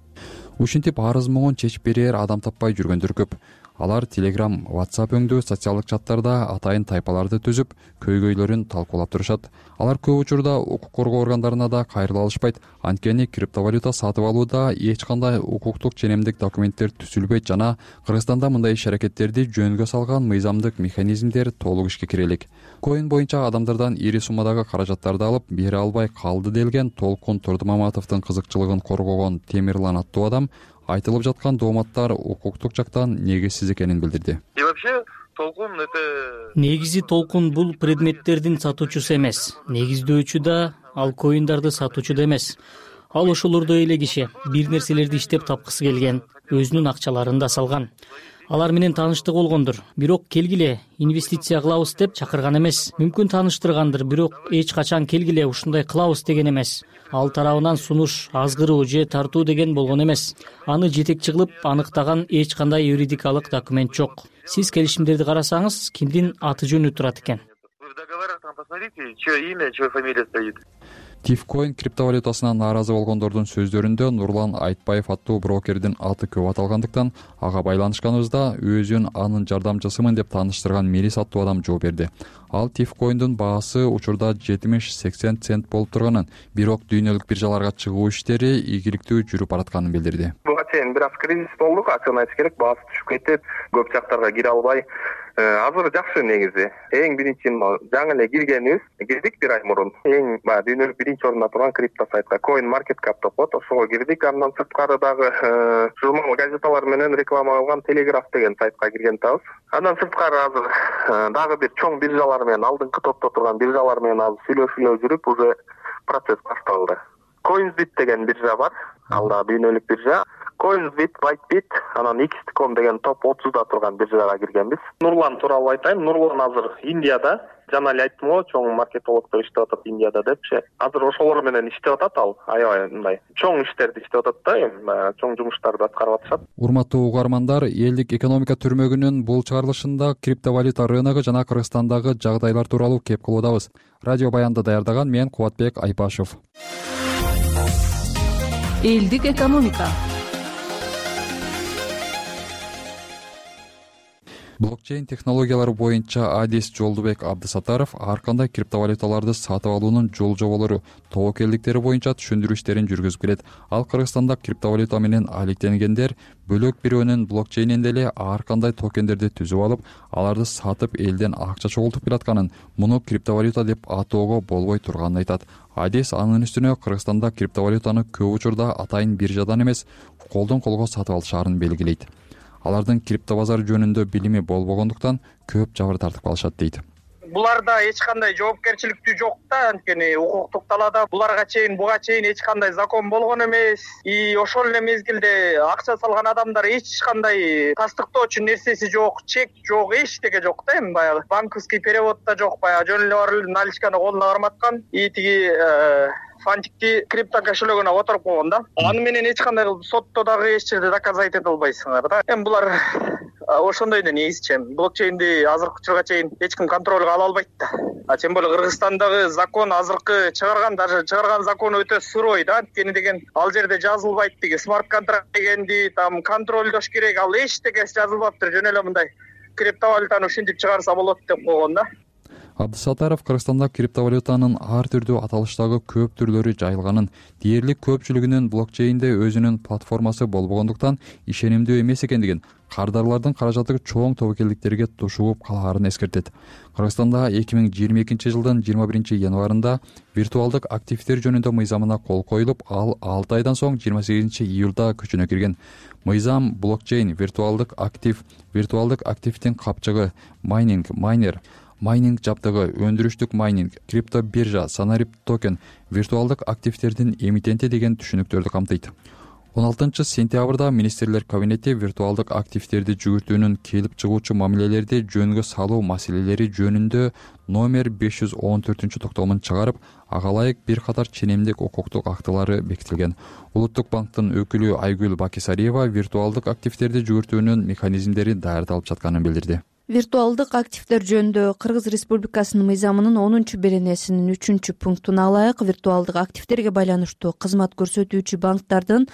Ушинтип арыз могун чечип берер адам таппай жүргөндөр көп. Алар Telegram, WhatsApp өңдүү социалдык чаттарда атайын тайпаларды түзүп, көйгөйлөрүн талкуулап турушат. Алар көп учурда укук коргоо органдарына да кайрыла алышпайт. Анткени криптовалюта сатып алууда эч кандай укуктук ченемдик документтер түзүлбөйт жана Кыргызстанда мындай иш-аракеттерди жөнгө салган мыйзамдык механизмдер толук ишке кире элек. Коин боюнча адамдардан ири суммадагы каражаттарды алып бере албай калды делген Толкун Турдумаматовдун кызыкчылыгын коргогон Темирлан аттуу адам айтылып жаткан дооматтар укуктук жактан негизсиз экенин билдирди. И вообще Толкун это негизи Толкун бул предметтердин сатуучусу эмес. Негиздөөчү да, ал коиндарды сатуучу да эмес. Ал ошолордой эле киши, бир нерселерди иштеп тапкысы келген, өзүнүн акчаларын да салган. алар менен тааныштык болгондур, бирок келгиле инвестиция кылабыз деп чакырган эмес. Мүмкүн тааныштыргандыр, бирок эч качан келгиле ушундай кылабыз деген эмес. Ал тарабынан сунуш, азгыруу же тартуу деген болгон эмес. Аны жетекчи кылып аныктаган эч кандай юридикалык документ жок. Сиз келишимдерди карасаңыз, кимдин аты жөнү турат экен? Посмотрите, чье имя, чья фамилия стоит. Тифкоин криптовалютасына нааразы болгондордун сөздөрүндө Нурлан Айтбаев аттуу брокердин аты көп аталгандыктан ага байланышканыбызда өзүн анын жардамчысымын деп тааныштырган Мирис аттуу адам жооп берди. Ал Тифкоиндун баасы учурда жетимиш сексен цент болуп турганын, бирок дүйнөлүк биржаларга чыгуу иштери ийгиликтүү жүрүп баратканын билдирди. Буга чейин бир аз кризис болду, ачыгын айтыш керек, баасы түшүп кетип, көп жактарга кире албай. Азыр жакшы негизи. Эң биринчи жаңы эле киргенибиз, кирдик бир ай мурун. Эң баягы дүйнөлүк биринчи орунда турган крипто сайтка Coin Market Cap деп коет, ошого кирдик. Андан сырткары дагы журнал газеталар менен реклама кылган Telegraph деген сайтка кирген атабыз. Андан сырткары азыр дагы бир чоң биржалар менен, алдыңкы топто турган биржалар менен азыр сүйлөшүүлөр жүрүп, уже процесс башталды. Coinsbit деген биржа бар, ал да дүйнөлүк биржа. Coinsbit, Bytebit, анан икс точка ком деген топ отузда турган биржага киргенбиз. Нурлан тууралуу айтайын. Нурлан азыр Индияда, жана эле айттым го, чоң маркетологдор иштеп атат Индияда депчи. Азыр ошолор менен иштеп атат ал. Аябай мындай чоң иштерди иштеп атат да, эми чоң жумуштарды аткарып атышат. Урматтуу угармандар, элдик экономика түрмөгүнүн бул чыгарылышында криптовалюта рыногу жана Кыргызстандагы жагдайлар тууралуу кеп кылуудабыз. Радио баянды даярдаган мен Кубатбек Айпашев. Элдик экономика. Блокчейн технологиялары боюнча Адис Жолдубек Абдысатаров ар кандай криптовалюталарды сатып алуунун жол жоболору, тобокелдиктери боюнча түшүндүрүү иштерин жүргүзүп келет. Ал Кыргызстанда криптовалюта менен алектенгендер бөлөк бирөөнүн блокчейнинде эле ар кандай токендерди түзүп алып, аларды сатып элден акча чогултуп келатканын, муну криптовалюта деп атоого болбой турганын айтат. Адис анын үстүнө Кыргызстанда криптовалютаны көп учурда атайын биржадан эмес, колдон колго сатып алышаарын белгилейт. Алардын криптобазар жөнүндө билими болбогондуктан көп жабыр тартып калышат дейт. Буларда эч кандай жоопкерчиликтүү жок да, анткени укуктук талаада буларга чейин буга чейин эч кандай закон болгон эмес. И ошол эле мезгилде акча салган адамдар эч кандай тастыктоочу нерсеси жок, чек жок, эчтеке жок да, эми баягы банковский перевод да жок, баягы жөн эле барып наличканы колуна карматкан, и тиги фантикти крипто кошелегине которуп койгон да. Аны менен эч кандай кылып сотто дагы эч жерде доказать эте албайсыңар да. Эми булар ошондой да негизчи. Блокчейнди азыркы учурга чейин эч ким контролго ала албайт да. А тем более Кыргызстандагы закон азыркы чыгарган, даже чыгарган закону өтө сурой да. Анткени деген ал жерде жазылбайт тиги смарт контракт дегенди, там контролдош керек, ал эчтекеси жазылбаптыр. Жөн эле мындай криптовалютаны ушинтип чыгарса болот деп койгон да. Абдысатаров Кыргызстанда криптовалютанын ар түрдүү аталыштагы көп түрлөрү жайылганын, дээрлик көпчүлүгүнүн блокчейнде өзүнүн платформасы болбогондуктан ишенимдүү эмес экендигин, кардарлардын каражаты чоң тобокелдиктерге тушууп калаарын эскертет. Кыргызстанда эки миң жыйырма экинчи жылдын жыйырма биринчи январында виртуалдык активдер жөнүндө мыйзамына кол коюлуп, ал алты айдан соң жыйырма сегизинчи июлда күчүнө кирген. Мыйзам блокчейн, виртуалдык актив, виртуалдык активдин капчыгы, майнинг, майнер, майнинг жабдыгы, өндүрүштүк майнинг, крипто биржа, санарип токен, виртуалдык активдердин эмитенти деген түшүнүктөрдү камтыйт. он алтынчы сентябрда министрлер кабинети виртуалдык активдерди жүгүртүүнүн келип чыгуучу мамилелерди жөнгө салуу маселелери жөнүндө номер беш жүз он төртүнчү токтомун чыгарып, ага ылайык бир катар ченемдик укуктук актылары бекитилген. Улуттук банктын өкүлү Айгүл Бакисариева виртуалдык активдерди жүгүртүүнүн механизмдери даярдалып жатканын билдирди. Виртуалдык активдер жөнүндө Кыргыз Республикасынын мыйзамынын онунчу беренесинин үчүнчү пунктуна ылайык виртуалдык активдерге байланыштуу кызмат көрсөтүүчү банктардын,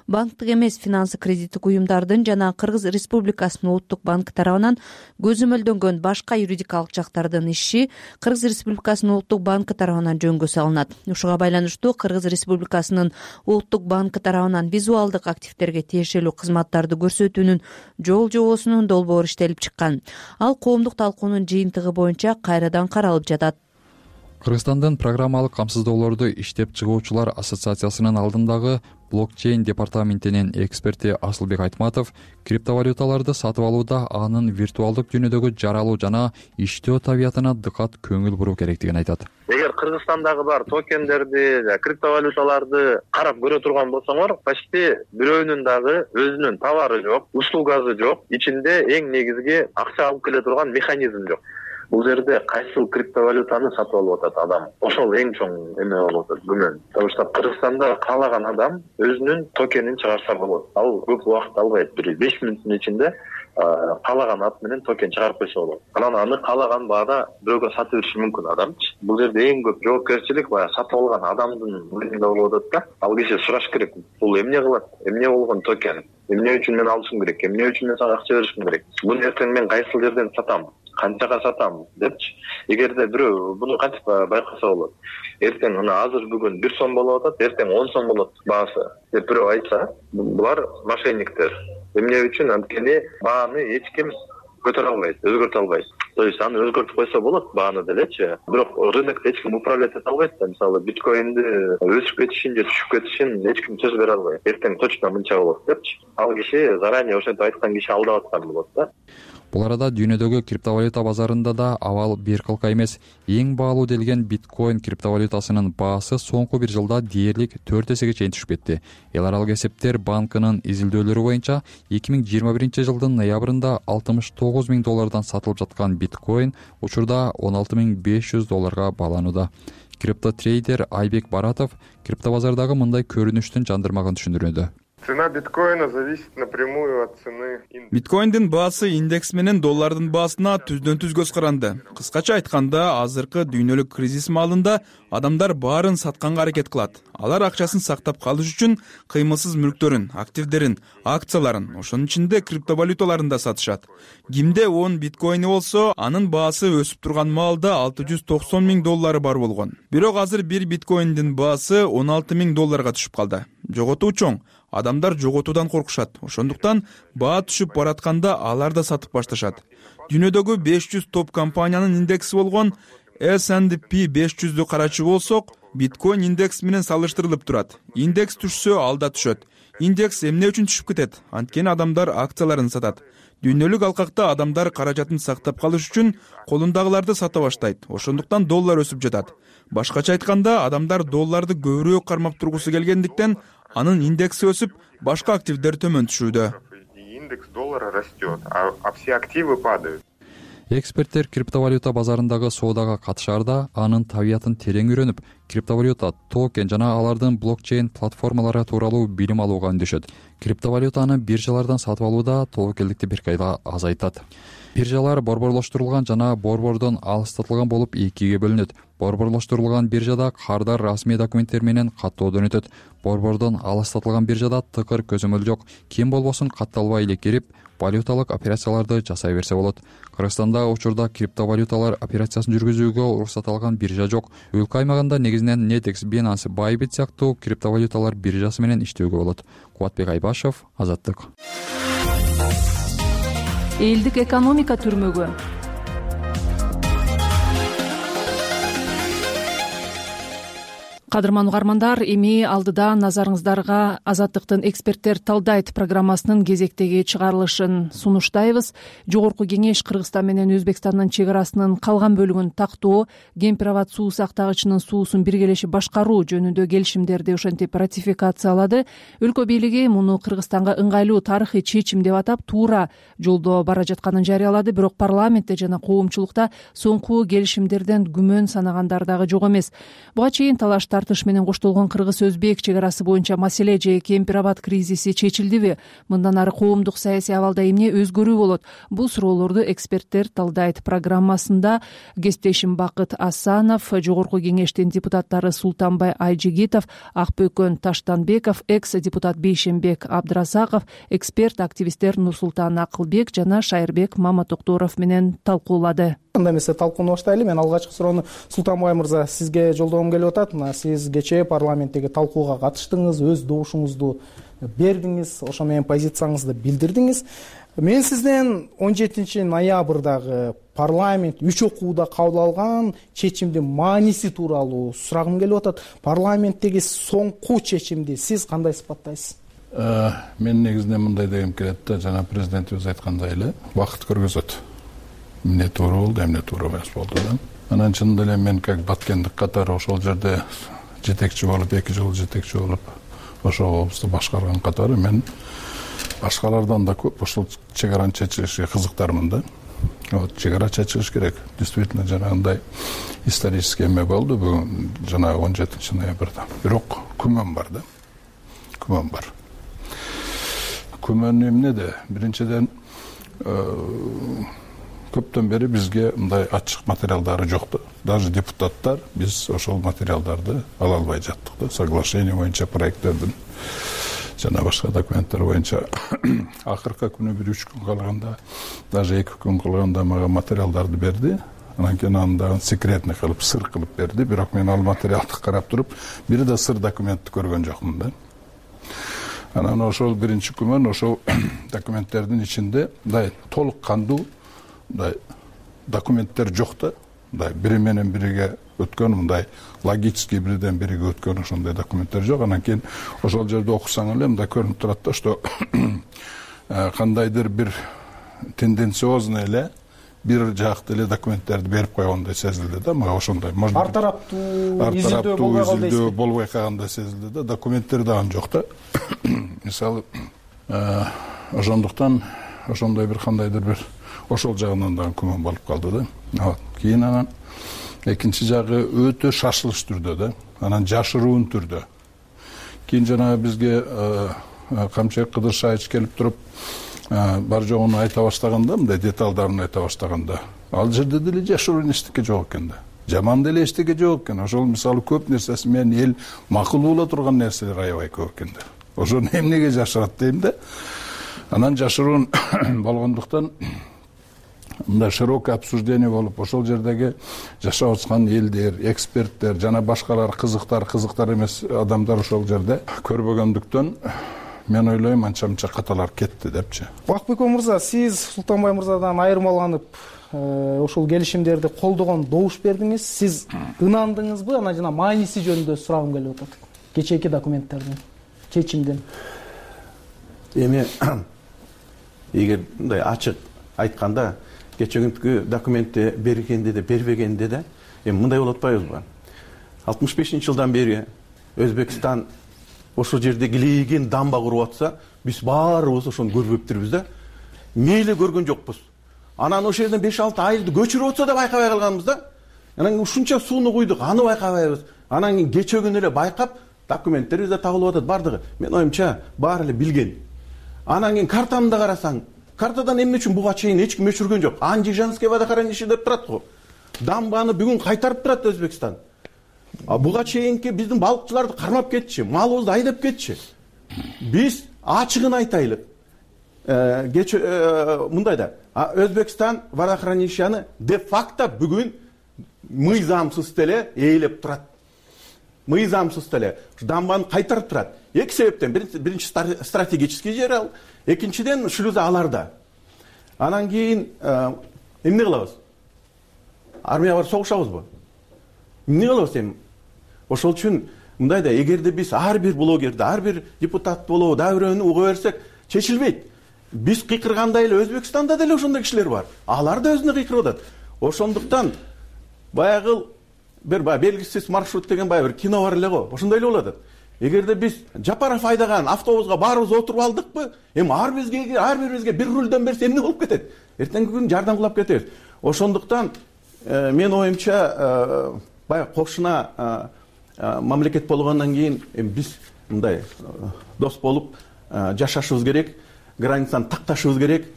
банктык эмес финансы кредиттик уюмдардын жана Кыргыз Республикасынын улуттук банкы тарабынан көзөмөлдөнгөн башка юридикалык жактардын иши Кыргыз Республикасынын улуттук банкы тарабынан жөнгө салынат. Ушуга байланыштуу Кыргыз Республикасынын улуттук банкы тарабынан визуалдык активдерге тиешелүү кызматтарды көрсөтүүнүн жол жобосунун долбоору иштелип чыккан. Ал коомдук талкуунун жыйынтыгы боюнча кайрадан каралып жатат. Кыргызстандын программалык камсыздоолорду иштеп чыгуучулар ассоциациясынын алдындагы блокчейн департаментинин эксперти Асылбек Айтматов криптовалюталарды сатып алууда анын виртуалдык дүйнөдөгү жаралуу жана иштөө табиятына дыкат көңүл буруу керектигин айтат. Эгер Кыргызстандагы бар токендерди, криптовалюталарды карап көрө турган болсоңор, почти бирөөнүн дагы өзүнүн товары жок, услугасы жок, ичинде эң негизги акча алып келе турган механизм жок. Бул жерде кайсыл криптовалютаны сатып алып атат адам? Ошол эң чоң эме болуп атат, күмөн. Потому что Кыргызстанда каалаган адам өзүнүн токенин чыгарса болот. Ал көп убакыт албайт, бир беш мүнөттүн ичинде каалаган ат менен токен чыгарып койсо болот. Анан аны каалаган баада бирөөгө сатып бериши мүмкүн адамчы. Бул жерде эң көп жоопкерчилик баягы сатып алган адамдын мойнунда болуп атат да. Ал киши сураш керек. Бул эмне кылат? Эмне болгон токен? Эмне үчүн мен алышым керек? Эмне үчүн мен сага акча беришим керек? Буну эртең мен кайсыл жерден сатам? Канчага сатам депчи. Эгерде бирөө буну кантип байкаса болот? Эртең мына азыр бүгүн бир сом болуп атат, эртең он сом болот баасы деп бирөө айтса, булар мошенниктер. Эмне үчүн? Анткени бааны эч ким көтөрө албайт, өзгөртө албайт. То есть аны өзгөртүп койсо болот бааны делечи. Бирок рынокто эч ким управлять эте албайт да. Мисалы биткоинди өсүп кетишин же түшүп кетишин эч ким сөз бере албайт. Эртең точно мынча болот депчи. Ал киши заранее ошентип айткан киши алдап аткан болот да. Бул арада дүйнөдөгү криптовалюта базарында да абал бир кылка эмес. Эң баалуу делген биткоин криптовалютасынын баасы соңку бир жылда дээрлик төрт эсеге чейин түшүп кетти. Эл аралык эсептер банкынын изилдөөлөрү боюнча эки миң жыйырма биринчи жылдын ноябрында алтымыш тогуз миң доллардан сатылып жаткан биткоин учурда он алты миң беш жүз долларга бааланууда. Криптотрейдер Айбек Баратов криптобазардагы мындай көрүнүштүн жандырмагын түшүндүрүүдө. Цена биткоина зависит напрямую от цены индекса. Биткоиндин баасы индекс менен доллардын баасына түздөн түз көз каранды. Кыскача айтканда, азыркы дүйнөлүк кризис маалында адамдар баарын сатканга аракет кылат. Алар акчасын сактап калыш үчүн кыймылсыз мүлктөрүн, активдерин, акцияларын, ошонун ичинде криптовалюталарын да сатышат. Кимде он биткоини болсо, анын баасы өсүп турган маалда алты жүз токсон миң доллары бар болгон. Бирок азыр бир биткоиндин баасы он алты миң долларга түшүп калды. Жоготуу чоң. Адамдар жоготуудан коркушат. Ошондуктан баа түшүп баратканда алар да сатып башташат. Дүйнөдөгү беш жүз топ компаниянын индекси болгон эс энд пи беш жүздү карачу болсок, биткоин индекс менен салыштырылып турат. Индекс түшсө, ал да түшөт. Индекс эмне үчүн түшүп кетет? Анткени адамдар акцияларын сатат. Дүйнөлүк алкакта адамдар каражатын сактап калыш үчүн колундагыларды сата баштайт. Ошондуктан доллар өсүп жатат. Башкача айтканда, адамдар долларды көбүрөөк кармап тургусу келгендиктен анын индекси өсүп, башка активдер төмөн түшүүдө. Индекс доллара растет, а все активы падают. Эксперттер криптовалюта базарындагы соодага катышаарда анын табиятын терең үйрөнүп, криптовалюта, токен жана алардын блокчейн платформалары тууралуу билим алууга үндөшөт. Криптовалютаны биржалардан сатып алууда тобокелдикти бир кайда азайтат. Биржалар борборлоштурулган жана борбордон алыстатылган болуп экиге бөлүнөт. Борборлоштурулган биржада кардар расмий документтер менен каттоодон өтөт. Борбордон алыстатылган биржада тыкыр көзөмөл жок. Ким болбосун катталбай эле кирип, валюталык операцияларды жасай берсе болот. Кыргызстанда учурда криптовалюталар операциясын жүргүзүүгө уруксат алган биржа жок. Өлкө аймагында негизинен Netex, Binance, Bybit сыяктуу криптовалюталар биржасы менен иштөөгө болот. Кубатбек Айбашев, Азаттык. Элдик экономика түрмөгү. Кадырман угармандар, эми алдыда назарыңыздарга Азаттыктын эксперттер талдайт программасынын кезектеги чыгарылышын сунуштайбыз. Жогорку кеңеш Кыргызстан менен Өзбекстандын чек арасынын калган бөлүгүн тактоо, Кемпирабад суу сактагычынын суусун биргелешип башкаруу жөнүндө келишимдерди ошентип ратификациялады. Өлкө бийлиги муну Кыргызстанга ыңгайлуу тарыхый чечим деп атап, туура жолдо бара жатканын жарыялады. Бирок парламентте жана коомчулукта соңку келишимдерден күмөн санагандар дагы жок эмес. Буга чейин талаш тартыш менен коштолгон Кыргыз-Өзбек чек арасы боюнча маселе же Кемпирабад кризиси чечилдиби? Мындан ары коомдук саясий абалда эмне өзгөрүү болот? Бул суроолорду эксперттер талдайт программасында кесиптешим Бакыт Асанов, жогорку кеңештин депутаттары Султанбай Айжигитов, Акбөкөн Таштанбеков, экс-депутат Бейшембек Абдыразаков, эксперт активисттер Нурсултан Акылбек жана Шайырбек Маматокторов менен талкуулады. Анда эмесе талкууну баштайлы. Мен алгачкы суроону Султанбай мырза сизге жолдогум келип атат. Мына сиз кечээ парламенттеги талкууга катыштыңыз, өз добушуңузду бердиңиз, ошо менен позицияңызды билдирдиңиз. Мен сизден он жетинчи ноябрдагы парламент үч окууда кабыл алган чечимдин мааниси тууралуу сурагым келип атат. Парламенттеги соңку чечимди сиз кандай сыпаттайсыз? Мен негизинен мындай дегим келет да, жана президентибиз айткандай эле, убакыт көргөзөт. Эмне туура болду, эмне туура эмес болду да. Анан чынында эле мен как баткендик катары ошол жерде жетекчи болуп, эки жыл жетекчи болуп, ошол облусту башкарган катары мен башкалардан да көп ошол чек араны чечилишине кызыктармын да. Вот чек ара чечилиш керек. Действительно жанагындай исторический эме болду бүгүн жанагы он жетинчи ноябрда. Бирок күмөн бар да. Күмөн бар. Күмөн эмнеде? Биринчиден көптөн бери бизге мындай ачык материалдары жок да. Даже депутаттар биз ошол материалдарды ала албай жаттык да. Соглашение боюнча проекттердин жана башка документтер боюнча акыркы күнү бир үч күн калганда, даже эки күн калганда мага материалдарды берди. Анан кийин аны дагы секретный кылып, сыр кылып берди. Бирок мен ал материалды карап туруп, бир да сыр документти көргөн жокмун да. Анан ошол биринчи күмөн ошол документтердин ичинде мындай толук кандуу мындай документтер жок да. Мындай бири менен бириге өткөн, мындай логический бирден бириге өткөн ошондой документтер жок. Анан кийин ошол жерде окусаң эле мындай көрүнүп турат да, что кандайдыр бир тенденциозный эле бир жакты эле документтерди берип койгондой сезилди да. Мага ошондой ар тараптуу изилдөө болбой калгандай сезилди да. Документтер дагы жок да. Мисалы ошондуктан ошондой бир кандайдыр бир ошол жагынан дагы күмөн болуп калды да. Вот. Кийин анан экинчи жагы өтө шашылыш түрдө да. Анан жашыруун түрдө. Кийин жанагы бизге Камчыбек Кыдыршаевич келип туруп бар жогун айта баштаганда, мындай деталдарын айта баштаганда, ал жерде деле жашыруун эчтеке жок экен да. Жаман деле эчтеке жок экен. Ошол мисалы көп нерсеси менен эл макул боло турган нерселер аябай көп экен да. Ошону эмнеге жашырат дейм да. Анан жашыруун болгондуктан мындай широкое обсуждение болуп, ошол жердеги жашап аткан элдер, эксперттер жана башкалар кызыктар, кызыктар эмес адамдар ошол жерде көрбөгөндүктөн мен ойлойм анча-мынча каталар кетти депчи. Бакбеков мырза, сиз Султанбай мырзадан айырмаланып ошол келишимдерди колдогон добуш бердиңиз. Сиз ынандыңызбы? Анан жана мааниси жөнүндө сурагым келип атат. Кечээки документтердин, чечимдин. Эми эгер мындай ачык айтканда, кечээкүнкү документти бергенде де, бербегенде де, эми мындай болуп атпайбызбы? алтымыш бешинчи жылдан бери Өзбекстан ошол жерде килейген дамба куруп атса, биз баарыбыз ошону көрбөптүрбүз да. Мейли көргөн жокпуз. Анан ошол жерден беш алты айылды көчүрүп атса да байкабай калганбыз да. Анан ушунча сууну куйдук, аны байкабайбыз. Анан кийин кечээ күнү эле байкап, документтерибиз да табылып атат бардыгы. Мен оюмча баары эле билген. Анан кийин картаны да карасаң, картадан эмне үчүн буга чейин эч ким өчүргөн жок. Анжижанский водохранилище деп турат го. Дамбаны бүгүн кайтарып турат Өзбекстан. А буга чейинки биздин балыкчыларды кармап кетчи, малыбызды айдап кетчи. Биз ачыгын айтайлы. Кечээ мындай да, Өзбекстан водохранилищени де факто бүгүн мыйзамсыз деле ээлеп турат. Мыйзамсыз деле дамбаны кайтарып турат. Эки себептен: биринчи стратегический жер ал, экинчиден шлюза аларда. Анан кийин эмне кылабыз? Армия бар согушабызбы? Эмне кылабыз эми? Ошол үчүн мындай да, эгерде биз ар бир блогерди, ар бир депутат болобу, дагы бирөөнү уга берсек, чечилбейт. Биз кыйкыргандай эле Өзбекстанда деле ошондой кишилер бар. Алар да өзүнө кыйкырып атат. Ошондуктан баягы бир белгисиз маршрут деген баягы бир кино бар эле го. Ошондой эле болот. Эгерде биз Жапаров айдаган автобуска баарыбыз отуруп алдыкпы, эми ар бизге, ар бирибизге бир рулдөн берсе эмне болуп кетет? Эртеңки күнү жардам кылып кетебиз. Ошондуктан мен оюмча баягы кошуна мамлекет болгондон кийин биз мындай дос болуп жашашыбыз керек, границаны такташыбыз керек.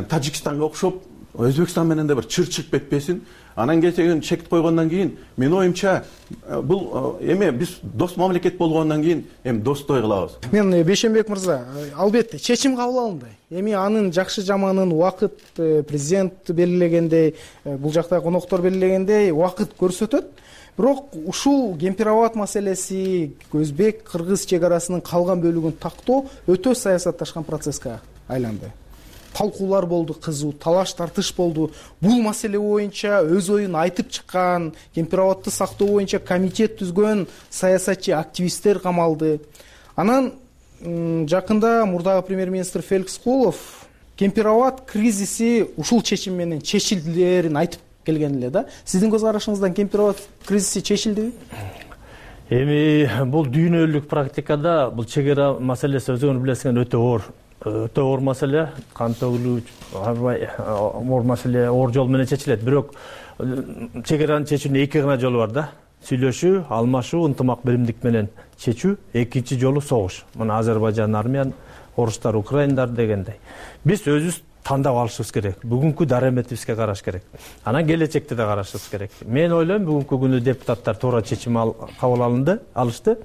Тажикстанга окшоп Өзбекстан менен да бир чыр чыгып кетпесин. Анан кечен чек койгондон кийин мен оюмча бул эме биз дос мамлекет болгондон кийин эми достой кылабыз. Мен Бейшенбек мырза, албетте чечим кабыл алынды. Эми анын жакшы жаманын убакыт президент белгилегендей, бул жакта коноктор белгилегендей убакыт көрсөтөт. Бирок ушул Кемпир-Абад маселеси, Өзбек-Кыргыз чек арасынын калган бөлүгүн тактоо өтө саясатташкан процесске айланды. талкуулар болду, кызуу талаш тартыш болду. Бул маселе боюнча өз оюн айтып чыккан, кемпирабадты сактоо боюнча комитет түзгөн саясатчы активисттер камалды. Анан жакында мурдагы премьер-министр Феликс Кулов Кемпирабад кризиси ушул чечим менен чечилдерин айтып келген эле да. Сиздин көз карашыңыздан Кемпирабад кризиси чечилдиби? Эми бул дүйнөлүк практикада бул чек ара маселеси өзүңөр билесиңер өтө оор, өтө оор маселе, кан төгүлүү, аябай оор маселе, оор жол менен чечилет. Бирок чек араны чечүүнүн эки гана жолу бар да. Сүйлөшүү, алмашуу, ынтымак биримдик менен чечүү, экинчи жолу согуш. Мына Азербайжан армиян, орустар, украиндар дегендей. Биз өзүбүз тандап алышыбыз керек. Бүгүнкү дараметибизге караш керек. Анан келечекте да карашыбыз керек. Мен ойлойм, бүгүнкү күнү депутаттар туура чечим кабыл алынды, алышты.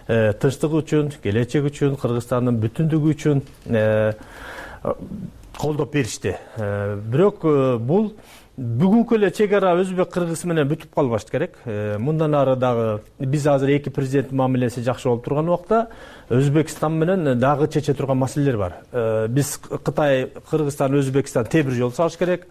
Тынчтык үчүн, келечек үчүн, Кыргызстандын бүтүндүгү үчүн колдоп беришти. Бирок бул бүгүнкү эле чек ара өзбек кыргыз менен бүтүп калбаш керек. Мындан ары дагы биз азыр эки президенттин мамилеси жакшы болуп турган убакта Өзбекстан менен дагы чече турган маселелер бар. Биз Кытай, Кыргызстан, Өзбекстан темир жол салыш керек.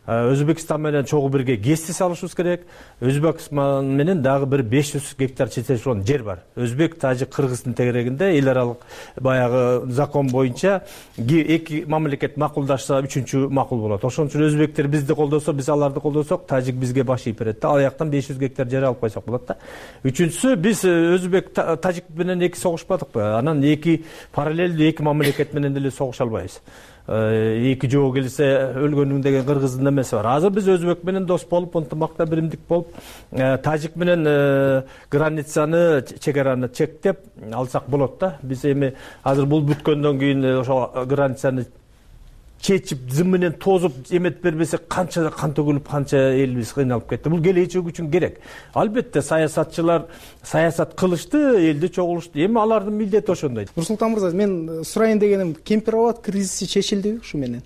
Өзбекстан менен чогуу бирге ГЭСти салышыбыз керек. Өзбекстан менен дагы бир беш жүз гектар чечилген жер бар. Өзбек, Тажик, Кыргыздын тегерегинде эл аралык баягы закон боюнча эки мамлекет макулдашса үчүнчү макул болот. Ошон үчүн өзбектер бизди колдосо, биз аларды колдосок, Тажик бизге баш ийип берет да. Ал жактан беш жүз гектар жер алып койсок болот да. Үчүнчүсү, биз Өзбек, Тажик менен эки согушпадыкпы? Анан эки параллелдүү эки мамлекет менен деле согуша албайбыз. Эки жоо келсе өлгөнүң деген кыргыздын эмеси бар. Азыр биз Өзбек менен дос болуп, ынтымакта биримдик болуп, Тажик менен границаны, чек араны чектеп алсак болот да. Биз эми азыр бул бүткөндөн кийин ошо границаны чечип, зым менен тозуп эмет бербесе канча кан төгүлүп, канча элибиз кыйналып кетти. Бул келечек үчүн керек. Албетте саясатчылар саясат кылышты, элди чогулушту. Эми алардын милдети ошондой. Нурсултан мырза, мен сурайын дегеним, Кемпирабад кризиси чечилдиби ушу менен?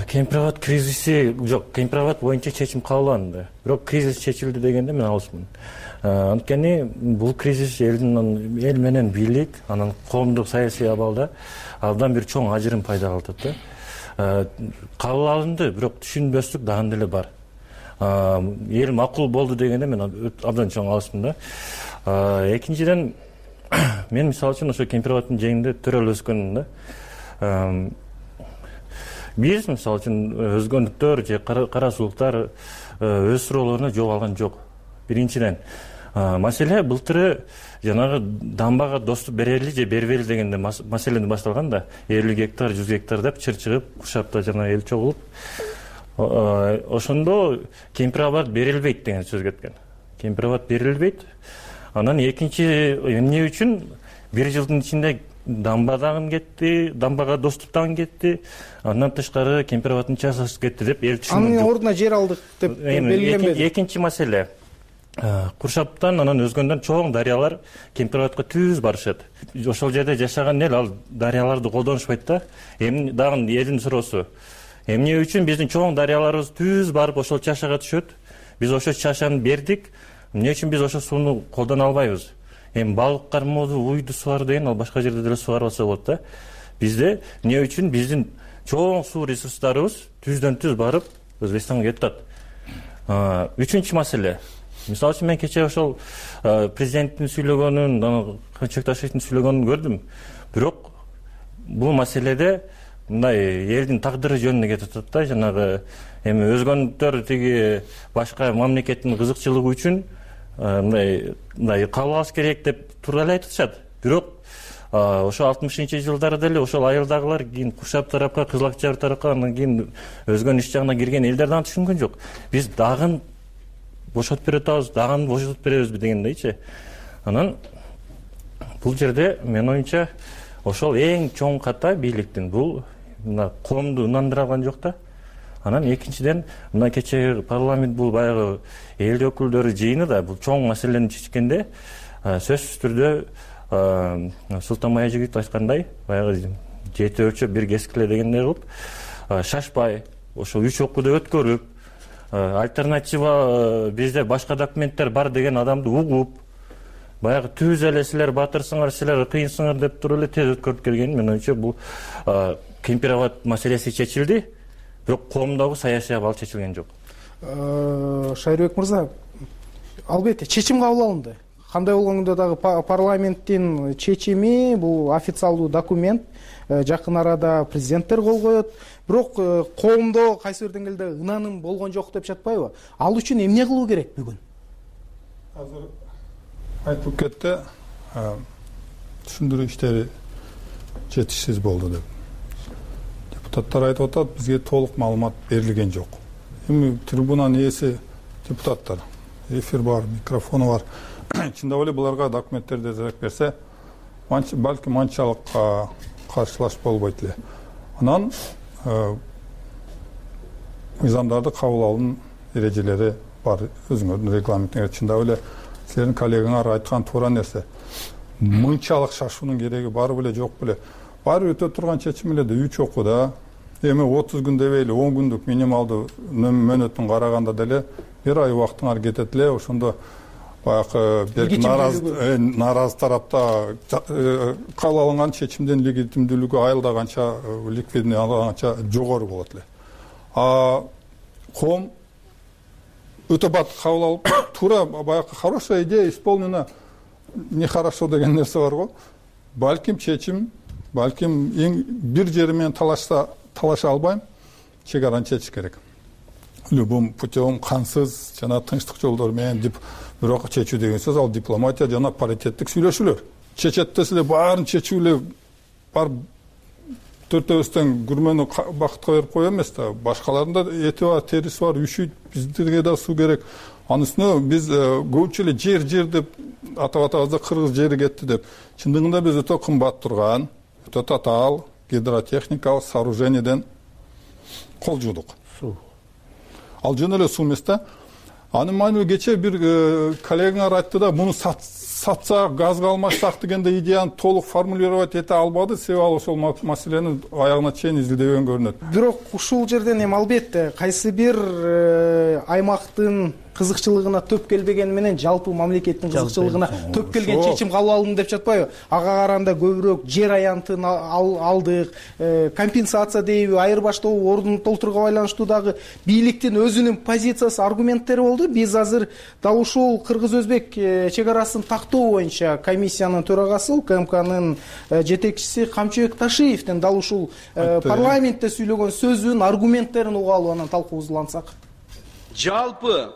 Кемпирабад кризиси жок, Кемпирабад боюнча чечим кабыл алынды. Бирок кризис чечилди дегенде мен алысмын. Анткени бул кризис элдин эл менен бийлик, анан коомдук саясий абалда абдан бир чоң ажырым пайда кылдырат да. Кабыл алынды, бирок түшүнбөстүк дагы деле бар. Эл макул болду дегенде мен абдан чоң алысмын да. Экинчиден, мен мисалы үчүн ошо Кемпирабадтын жээгинде төрөлүп өскөнмүн да. Биз мисалы үчүн өзгөнүктөр же кара сулуктар өз суроолоруна жооп алган жок. Биринчиден, маселе былтыры жанагы дамбага доступ берели же бербейли дегенде маселени башталган да. элүү гектар, жүз гектар деп чыр чыгып, Куршапта жана эл чогулуп, ошондо Кемпирабад берилбейт деген сөз кеткен. Кемпирабад берилбейт. Анан экинчи эмне үчүн бир жылдын ичинде дамба дагы кетти, дамбага доступ дагы кетти. Андан тышкары Кемпирабадтын часасы кетти деп эл түшүндү. Анын ордуна жер алдык деп белгиленбеди. Экинчи маселе, Куршаптан анан өзгөндөн чоң дарыялар Кемпирабадка түз барышат. Ошол жерде жашаган эл ал дарыяларды колдонушпайт да. Эми дагы элдин суроосу. Эмне үчүн биздин чоң дарыяларыбыз түз барып ошол чашага түшөт? Биз ошол чашаны бердик. Эмне үчүн биз ошол сууну колдоно албайбыз? Эми балык кармооду, уйду сугаруу деген ал башка жерде деле сугарылса болот да. Бизде эмне үчүн биздин чоң суу ресурстарыбыз түздөн түз барып Өзбекстанга кетип атат? Үчүнчү маселе. Мисалы үчүн мен кечээ ошол президенттин сүйлөгөнүн, Кылычбек Ташиевдин сүйлөгөнүн көрдүм. Бирок бул маселеде мындай элдин тагдыры жөнүндө кетип атат да. Жанагы эми өзгөнүктөр тиги башка мамлекеттин кызыкчылыгы үчүн мындай мындай кабыл алыш керек деп туура эле айтып атышат. Бирок ошо алтымышынчы жылдары деле ошол айылдагылар кийин Куршап тарапка, Кызыл Акчар тарапка, андан кийин өзгөн иш жагына кирген элдер дагы түшүнгөн жок. Биз дагы бошотуп бере атабыз, дагы бошотуп беребизби дегендейчи. Анан бул жерде менин оюмча ошол эң чоң ката бийликтин бул мына коомду ынандыра алган жок да. Анан экинчиден мына кечээ парламент бул баягы эл өкүлдөрү жыйыны да бул чоң маселени чечкенде сөзсүз түрдө Султан Маежигит айткандай баягы жети өлчөп бир кескиле дегендей кылып шашпай ошол үч окууду өткөрүп альтернатива бизде башка документтер бар деген адамды угуп баягы түз эле силер батырсыңар, силер кыйынсыңар деп туруп эле тез өткөрүп келген. Мен оюмча бул кемпировод маселеси чечилди, бирок коомдогу саясий абал чечилген жок. Шайырбек мырза, албетте чечим кабыл алынды. Кандай болгондо дагы парламенттин чечими бул официалдуу документ, жакын арада президенттер кол коет. Бирок коомдо кайсы бир деңгээлде ынаным болгон жок деп жатпайбы? Ал үчүн эмне кылуу керек бүгүн? Азыр айтылып кетти, түшүндүрүү иштери жетишсиз болду деп. Депутаттар айтып атат, бизге толук маалымат берилген жок. Эми трибунанын ээси депутаттар, эфир бар, микрофону бар. Чындап эле буларга документтерди тезирээк берсе, балким анчалык каршылаш болбойт эле. Анан мыйзамдарды кабыл алуунун эрежелери бар, өзүңөрдүн регламентиңер. Чындап эле силердин коллегаңар айткан туура нерсе. Мынчалык шашуунун кереги бар беле, жок беле. Баары өтө турган чечим эле да, үч окууда. Эми отуз күн дебейли, он күндүк минималдуу мөөнөтүн караганда деле бир ай убактыңар кетет эле. Ошондо баягы нааразы нааразы тарапта кабыл алынган чечимдин легитимдүүлүгү айылдаганча, ликвидный алганча жогору болот эле. А коом өтө бат кабыл алып, туура баягы хорошая идея исполнена, нехорошо деген нерсе бар го. Балким чечим, балким эң бир жери менен талашса талаша албайм, чек араны чечиш керек. Любым путем, кансыз жана тынчтык жолдор менен деп бирок чечүү деген сөз ал дипломатия жана паритеттик сүйлөшүүлөр. Чечет десе баарын чечүү эле бар төртөөбүздөн күрмөнү бакытка берип кое эмес да. Башкаларында эти бар, териси бар, үшүйт, биздерге да суу керек. Анын үстүнө биз көбүнчө эле жер жер деп атап атабызда кыргыз жери кетти деп. Чындыгында биз өтө кымбат турган, өтө татаал гидротехникалык сооружениеден кол жуудук. Ал жөн эле суу эмес да. Анын маани кечээ бир коллегаңар айтты да, муну сатсак, газга алмашсак дегенде идеяны толук формулировать эте албады, себеби ал ошол маселени аягына чейин изилдебеген көрүнөт. Бирок ушул жерден эми албетте кайсы бир аймактын кызыкчылыгына төп келбегени менен жалпы мамлекеттин кызыкчылыгына төп келген чечим кабыл алынды деп жатпайбы? Ага караганда көбүрөөк жер аянтын алдык, компенсация дейби, айырбаштоо ордун толтурууга байланыштуу дагы бийликтин өзүнүн позициясы, аргументтери болду. Биз азыр дал ушул кыргыз-өзбек чек арасын тактоо боюнча комиссиянын төрагасы, УКМКнын жетекчиси Камчыбек Ташиевдин дал ушул парламентте сүйлөгөн сөзүн, аргументтерин угуп алып анан талкуубузду улантсак. Жалпы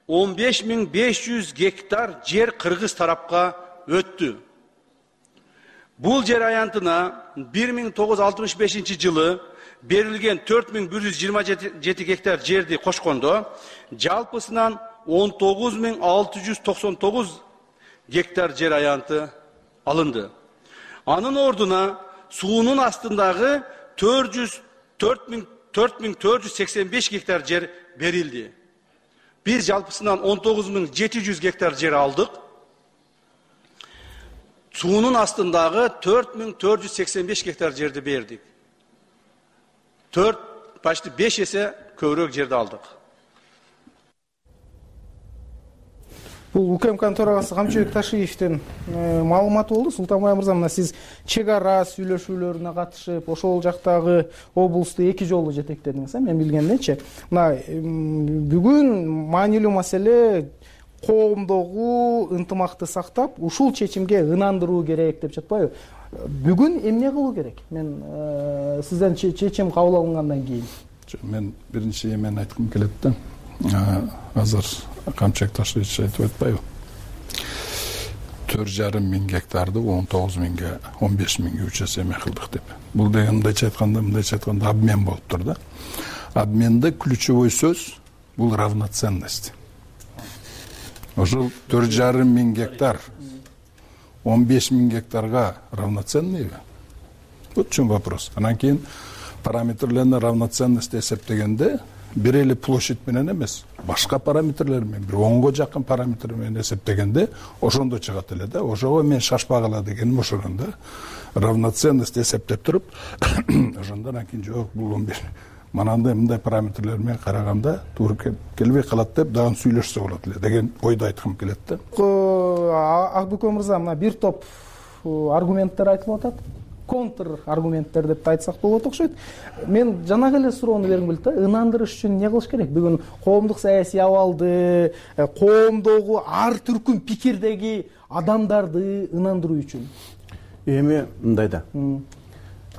он беш миң беш жүз гектар жер кыргыз тарапка өттү. Бул жер аянтына бир миң тогуз жүз алтымыш бешинчи жылы берилген төрт миң бир жүз жыйырма жети гектар жерди кошкондо, жалпысынан он тогуз миң алты жүз токсон тогуз гектар жер аянты алынды. Анын ордуна суунун астындагы төрт миң төрт жүз сексен беш гектар жер берилди. Биз жалпысынан он тогуз миң жети жүз гектар жер алдык. Суунун астындагы төрт миң төрт жүз сексен беш гектар жерди бердик. төрт, почти беш эсе көбүрөөк жерди алдык. Бул УКМКнын төрагасы Камчыбек Ташиевдин маалыматы болду. Султанбай мырза, мына сиз чек ара сүйлөшүүлөрүнө катышып, ошол жактагы облусту эки жолу жетектедиңиз, мен билгенденчи. Мына бүгүн маанилүү маселе коомдогу ынтымакты сактап, ушул чечимге ынандыруу керек деп жатпайбы? Бүгүн эмне кылуу керек? Мен сизден чечим кабыл алынгандан кийин. Мен биринчи эмен айткым келет да. Азыр Камчыбек Ташиевич айтып атпайбы? төрт жарым миң гектарды он тогуз миңге, он беш миңге үч эсе эме кылдык деп. Бул деген мындайча айтканда, мындайча айтканда обмен болуптур да. Обменде ключевой сөз бул равноценность. Ошол төрт жарым миң гектар он беш миң гектарга равноценныйбы? Вот в чем вопрос. Анан кийин параметрлерин равноценности эсептегенде бир эле площадь менен эмес, башка параметрлер менен, бир онго жакын параметр менен эсептегенде ошондо чыгат эле да. Ошого мен шашпагыла дегеним ошондон да. Равноценность эсептеп туруп, ошондон анан жок, бул он беш манандай мындай параметрлер менен караганда туура келбей калат деп дагы сүйлөшсө болот эле деген ойду айткым келет да. Акбүкө мырза, мына бир топ аргументтер айтылып атат. контр аргументтер деп да айтсак болот окшойт. Мен жанагы эле суроону бергим келет да, ынандырыш үчүн эмне кылыш керек? Бүгүн коомдук саясий абалды, коомдогу ар түркүм пикирдеги адамдарды ынандыруу үчүн. Эми мындай да.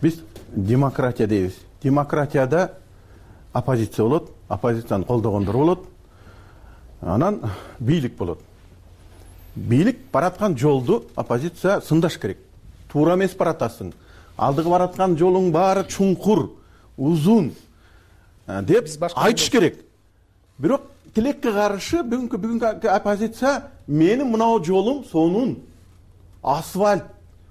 Биз демократия дейбиз. Демократияда оппозиция болот, оппозицияны колдогондор болот. Анан бийлик болот. Бийлик бараткан жолду оппозиция сындаш керек. Туура эмес баратасың. Алдыгы бараткан жолуң баары чуңкур, узун деп айтыш керек. Бирок тилекке каршы бүгүнкү бүгүнкү оппозиция менин мынау жолум сонун асфальт,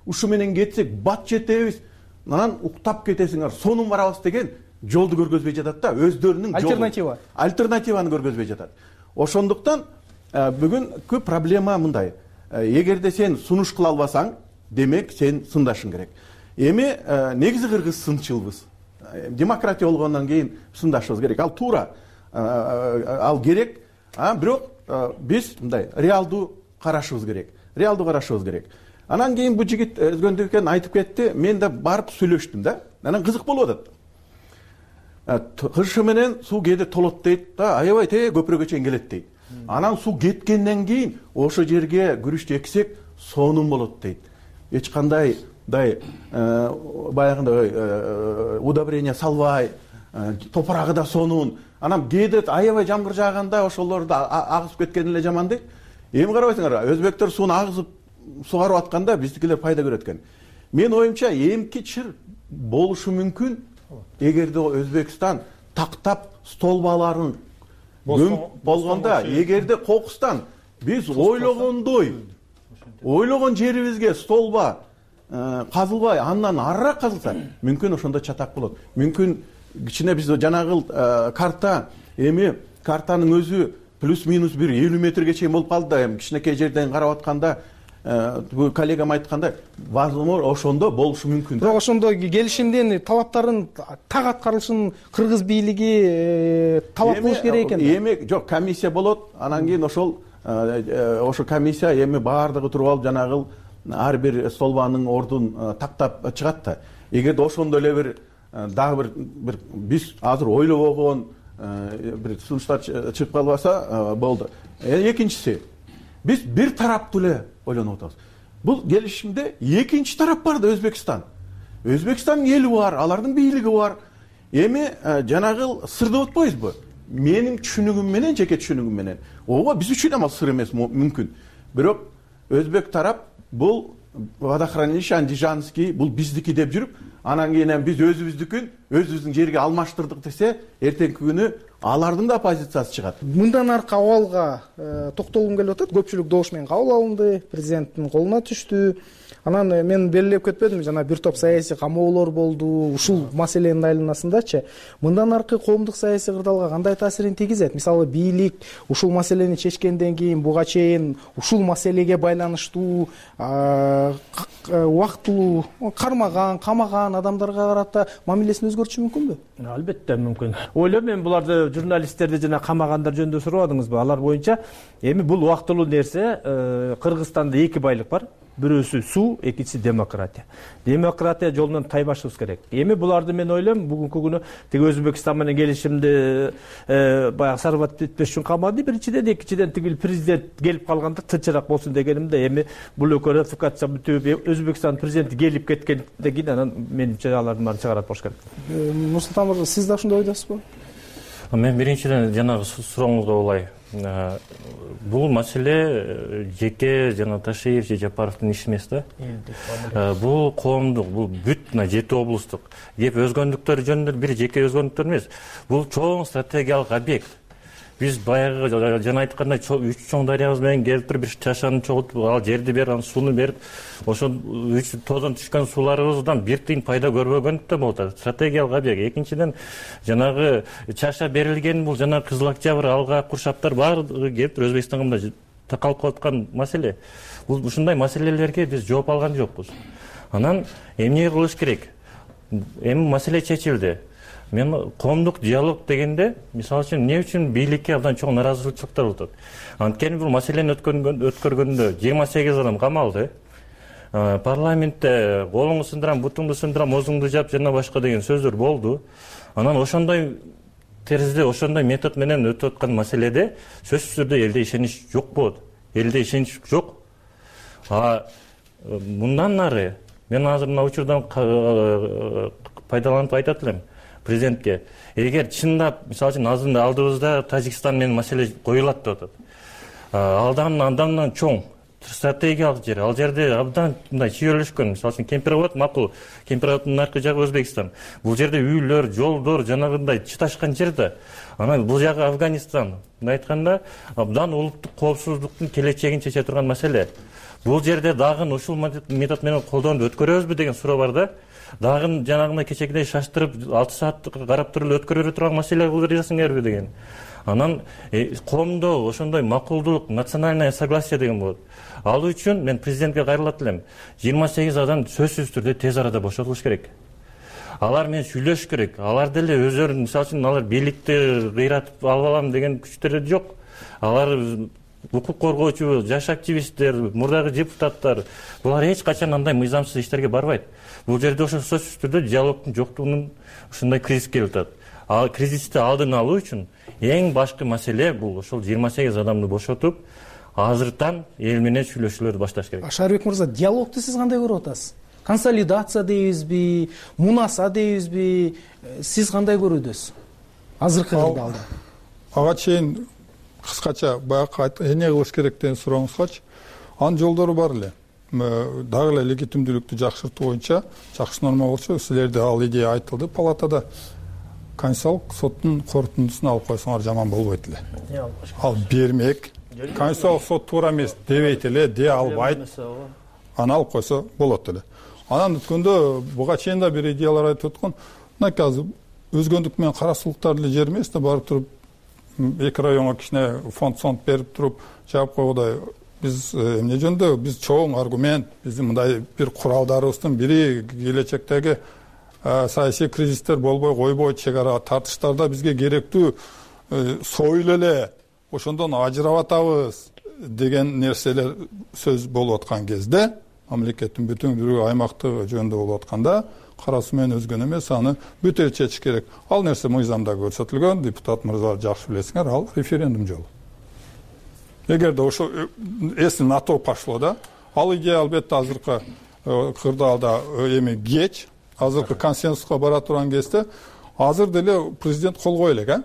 ушу менен кетсек бат жетебиз, анан уктап кетесиңер, сонун барабыз деген жолду көргөзбөй жатат да, өздөрүнүн альтернатива. Альтернативаны көргөзбөй жатат. Ошондуктан бүгүнкү проблема мындай. Эгерде сен сунуш кыла албасаң, демек сен сындашың керек. Эми негизи кыргыз сынчылбыз. Демократия болгондон кийин сындашыбыз керек. Ал туура, ал керек. Бирок биз мындай реалдуу карашыбыз керек. Реалдуу карашыбыз керек. Анан кийин бу жигит өзгөндү экен айтып кетти. Мен да барып сүйлөштүм да. Анан кызык болуп атат. Кышы менен суу кээде толот дейт да, аябай те көпүрөгө чейин келет дейт. Анан суу кеткенден кийин ошо жерге күрүчтү эксек сонун болот дейт. Эч кандай дай баягындай удобрение салбай, топурагы да сонун. Анан кээде аябай жамгыр жааганда ошолорду агызып кеткен эле жаман дейт. Эми карабайсыңар, өзбектер сууну агызып сугарып атканда биздикилер пайда көрөт экен. Мен оюмча эмки чыр болушу мүмкүн, эгерде Өзбекстан тактап столбаларын көмүп болгондо, эгерде кокустан биз ойлогондой, ойлогон жерибизге столба казылбай, андан арыраак казылса, мүмкүн ошондо чатак болот. Мүмкүн кичине биз жанагы карта, эми картанын өзү плюс-минус бир элүү метрге чейин болуп калды да, эми кичинекей жерден карап атканда, бул коллегам айткандай, возможно, ошондо болушу мүмкүн. Бирок ошондо келишимдин талаптарын так аткарылышын кыргыз бийлиги талап кылыш керек экен. Эми жок, комиссия болот, анан кийин ошол ошо комиссия эми баардыгы туруп алып жанагы ар бир столбанын ордун тактап чыгат да. Эгерде ошондой эле бир дагы бир биз азыр ойлобогон бир сунуштар чыгып калбаса болду. Экинчиси, биз бир тараптуу эле ойлонуп атабыз. Бул келишимде экинчи тарап бар да, Өзбекстан. Өзбекстандын эли бар, алардын бийлиги бар. Эми жанагы сыр деп атпайбызбы? Менин түшүнүгүм менен, жеке түшүнүгүм менен, ооба биз үчүн ал сыр эмес мүмкүн. Бирок өзбек тарап бул водохранилище Андижанский, бул биздики деп жүрүп, анан кийин биз өзүбүздүкүн өзүбүздүн жерге алмаштырдык десе, эртеңки күнү алардын да оппозициясы чыгат. Мындан аркы абалга токтолгум келип атат. Көпчүлүк добуш менен кабыл алынды, президенттин колуна түштү. Анан мен белгилеп кетпедим, жана бир топ саясий камоолор болду ушул маселенин айланасындачы. Мындан аркы коомдук саясий кырдаалга кандай таасирин тийгизет? Мисалы, бийлик ушул маселени чечкенден кийин буга чейин ушул маселеге байланыштуу убактылуу кармаган, камаган адамдарга карата мамилесин өзгөртүшү мүмкүнбү? Албетте мүмкүн. Ойлойм, мен буларды журналисттерди жана камагандар жөнүндө сурабадыңызбы? Алар боюнча эми бул убактылуу нерсе. Кыргызстанда эки байлык бар. Бирөөсү суу, экинчиси демократия. Демократия жолунан тайбашыбыз керек. Эми буларды мен ойлойм, бүгүнкү күнү тиги Өзбекстан менен келишимди баягы сарбат этпеш үчүн камады. Биринчиден, экинчиден тиги президент келип калганда тынчыраак болсун дегенимде, эми бул экөө ратификация бүтүп, Өзбекстан президенти келип кеткенден кийин анан менимче алардын баарын чыгарат болуш керек. Нурсултан мырза, сиз да ошондой ойдосузбу? Мен биринчиден жанагы сурооңузга улай. Бул маселе жеке жана Ташиев же Жапаровдун иши эмес да. Бул коомдук, бул бүт мына жети облустук кеп өзгөндүктөр жөнүндө бир жеке өзгөндүктөр эмес. Бул чоң стратегиялык объект. Биз баягы жана айткандай үч чоң дарыябыз менен келип туруп бир чашаны чогултуп, ал жерди берип, анан сууну берип, ошол үч тоодон түшкөн сууларыбыздан бир тыйын пайда көрбөгөндүктөр болот. Стратегиялык объект. Экинчиден, жанагы чаша берилген бул жана Кызыл Октябрь, Алга, Куршаптар баардыгы келип туруп Өзбекстанга мындай такалып калаткан маселе. Бул ушундай маселелерге биз жооп алган жокпуз. Анан эмне кылыш керек? Эми маселе чечилди. Мен коомдук диалог дегенде, мисалы үчүн, эмне үчүн бийликке абдан чоң нааразычылыктар болот? Анткени бул маселени өткөргөндө жыйырма сегиз адам камалды. парламентте колуңду сындырам, бутуңду сындырам, оозуңду жап жана башка деген сөздөр болду. Анан ошондой теризде, ошондой метод менен өтүп аткан маселеде сөзсүз түрдө элде ишенич жок болот. Элде ишенич жок. А мындан нары мен азыр мына учурдан пайдаланып айтат элем президентке. Эгер чындап, мисалы үчүн азыр алдыбызда Тажикстан менен маселе коюлат деп атат. Алдан андан чоң стратегиялык жер. Ал жерде абдан мындай чүйөлүшкөн. Мисалы үчүн Кемпировод макул. Кемпироводдун наркы жагы Өзбекстан. Бул жерде үйлөр, жолдор жанагындай чыташкан жер да. Анан бул жагы Афганистан. Мындай айтканда, абдан улуттук коопсуздуктун келечегин чече турган маселе. Бул жерде дагы ушул метод менен колдонуп өткөрөбүзбү деген суроо бар да. Дагы жанагындай кечегидей шаштырып алты саат карап туруп өткөрө турган маселе кылып жатсыңарбы деген. Анан коомдо ошондой макулдулук, национальное согласие деген болот. Ал үчүн мен президентке кайрылат элем. жыйырма сегиз адам сөзсүз түрдө тез арада бошотулуш керек. Алар менен сүйлөшүш керек. Алар деле өздөрү, мисалы үчүн, алар бийликти кыйратып алып алам деген күчтөрү жок. Алар укук коргоочу, жаш активисттер, мурдагы депутаттар, булар эч качан андай мыйзамсыз иштерге барбайт. Бул жерде ошо сөзсүз түрдө диалогдун жоктугунун ушундай кризис келип атат. Ал кризисти алдын алуу үчүн эң башкы маселе бул ошол жыйырма сегиз адамды бошотуп, азыртан эл менен сүйлөшүүлөрдү башташ керек. Шаарбек мырза, диалогду сиз кандай көрүп атасыз? Консолидация дейбизби, мунаса дейбизби? Сиз кандай көрүүдөсүз? Азыркы кырдаалда. Ага чейин кыскача баягы эмне кылыш керек деген сурооңузгачы, анын жолдору бар эле. Дагы эле легитимдүүлүктү жакшыртуу боюнча жакшы норма болчу. Силерде ал идея айтылды палатада. Конституциялык соттун корутундусун алып койсоңор жаман болбойт эле. Ал бермек. Конституциялык сот туура эмес дебейт эле, дей албайт. Аны алып койсо болот эле. Анан өткөндө буга чейин да бир идеялар айтып өткөн. Мынакей азыр өзгөндүк менен карасулуктар эле жер эмес да, барып туруп эки районго кичине фонд-сонд берип туруп жаап койгодай. Биз эмне жөнүндө биз чоң аргумент, биздин мындай бир куралдарыбыздын бири келечектеги саясий кризистер болбой койбойт, чек ара тартыштарда бизге керектүү союл эле ошондон ажырап атабыз деген нерселер сөз болуп аткан кезде, мамлекеттин бүтүндүүлүгү аймактыгы жөнүндө болуп атканда, кара суу менен өзгөн эмес, аны бүтө чечиш керек. Ал нерсе мыйзамда көрсөтүлгөн, депутат мырзалар жакшы билесиңер, ал референдум жолу. Эгерде ошо эси НАТО пошло да, ал идея албетте азыркы кырдаалда эми кеч, азыркы консенсуска бара турган кезде, азыр деле президент кол кое элек, а?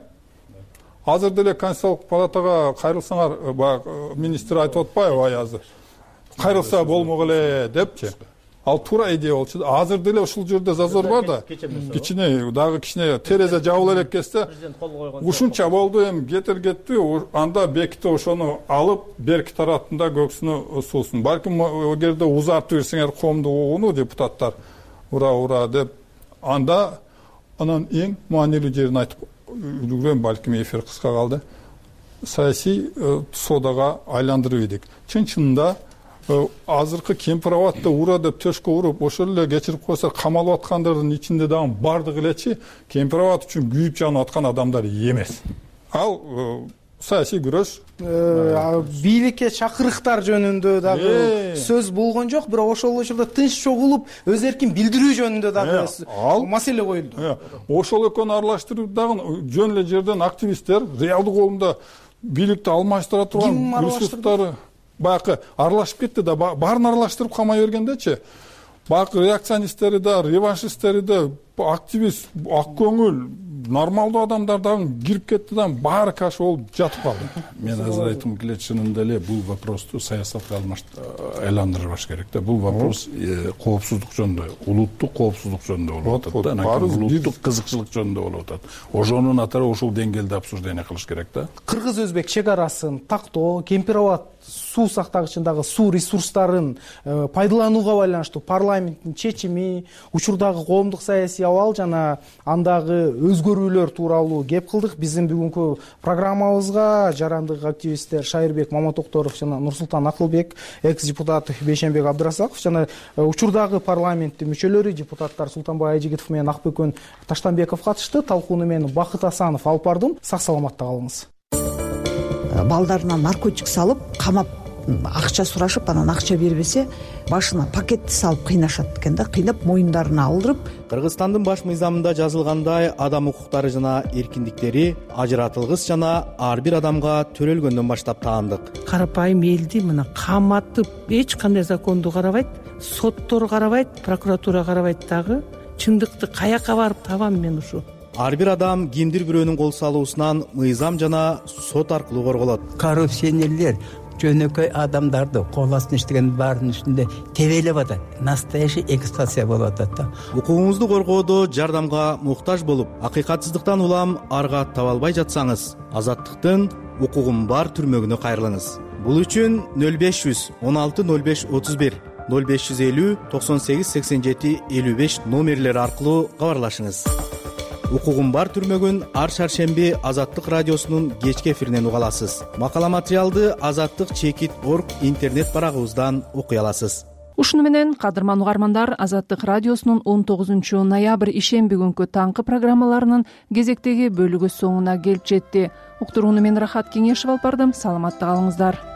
Азыр деле Конституциялык палатага кайрылсаңар, баягы министр айтып атпайбы азыр? Кайрылса болмок эле депчи. Ал туура идея болчу. Азыр деле ушул жерде зазор бар да. Кичине дагы кичине терезе жабыла элек кезде, ушунча болду, эми кетер кетти, анда беките ошону алып, берки тараптында көксүнө суусун. Балким эгерде узартып берсеңер коомду угууну депутаттар ура ура деп, анда анан эң маанилүү жерин айтып үлгүрөм, балким эфир кыска калды. Саясий содага айландырып едик. Чын-чынында азыркы Кемпироводдо ура деп төшкө уруп, ошол эле кечирип койсо камалып аткандардын ичинде дагы бардыгы элечи Кемпировод үчүн күйүп жанып аткан адамдар эмес. Ал саясий күрөш. Бийликке чакырыктар жөнүндө дагы сөз болгон жок, бирок ошол учурда тынч чогулуп, өз эркин билдирүү жөнүндө дагы маселе коюлду. Ошол экөөнү аралаштырып дагы жөн эле жерден активисттер, реалдуу колунда бийликти алмаштыра турган ресурстары баягы аралашып кетти да, баарын аралаштырып камай бергендечи, баягы реакционисттери да, реваншисттери да, активист, ак көңүл, нормалдуу адамдар дагы кирип кетти да, баары каша болуп жатып калды. Мен азыр айткым келет, чынында эле бул вопросту саясатка айландырбаш керек да. Бул вопрос коопсуздук жөнүндө, улуттук коопсуздук жөнүндө болуп атат да, анан улуттук кызыкчылык жөнүндө болуп атат. Ошонун атары ушул деңгээлде обсуждение кылыш керек да. Кыргыз-өзбек чек арасын тактоо, Кемпировод суу сактагычындагы суу ресурстарын пайдаланууга байланыштуу парламенттин чечими, учурдагы коомдук саясий абал жана андагы өзгөрүүлөр тууралуу кеп кылдык. Биздин бүгүнкү программабызга жарандык активисттер Шайырбек Маматокторов жана Нурсултан Акылбек, экс-депутат Бейшенбек Абдрасаков жана учурдагы парламенттин мүчөлөрү, депутаттар Султанбай Айжигитов менен Акбөкөн Таштанбеков катышты. Талкууну мен Бакыт Асанов алып бардым. Сак саламатта калыңыз. Балдарына наркотик салып, камап акча сурашып анан акча бербесе башына пакетти салып кыйнашат экен да, кыйнап моюндарына алдырып. Кыргызстандын баш мыйзамында жазылгандай адам укуктары жана эркиндиктери ажыратылгыс жана ар бир адамга төрөлгөндөн баштап таандык. Карапайым элди мына каматып эч кандай законду карабайт, соттор карабайт, прокуратура карабайт дагы. Чындыкты каяка барып табам мен ушу? Ар бир адам кимдир бирөөнүн кол салуусунан мыйзам жана сот аркылуу корголот. Коррупционерлер жөнөкөй адамдарды кол астына иштеген баарынын үстүндө тебелеп атат. Настоящий эксплуатация болуп атат да. Укугуңузду коргоодо жардамга муктаж болуп, акыйкатсыздыктан улам арга таба албай жатсаңыз, Азаттыктын укугум бар түрмөгүнө кайрылыңыз. Бул үчүн нөл беш жүз он алты нөл беш отуз бир нөл беш жүз элүү токсон сегиз сексен жети элүү беш номерлери аркылуу кабарлашыңыз. Укугум бар түрмөгүн ар шаршемби Азаттык радиосунун кечки эфиринен уга аласыз. Макала материалды Азаттык чекит орг интернет барагыбыздан окуй аласыз. Ушуну менен кадырман угармандар, Азаттык радиосунун он тогузунчу ноябрь ишемби күнкү таңкы программаларынын кезектеги бөлүгү соңуна келип жетти. Уктурууну мен Рахат Кеңешев алып бардым. Саламатта калыңыздар.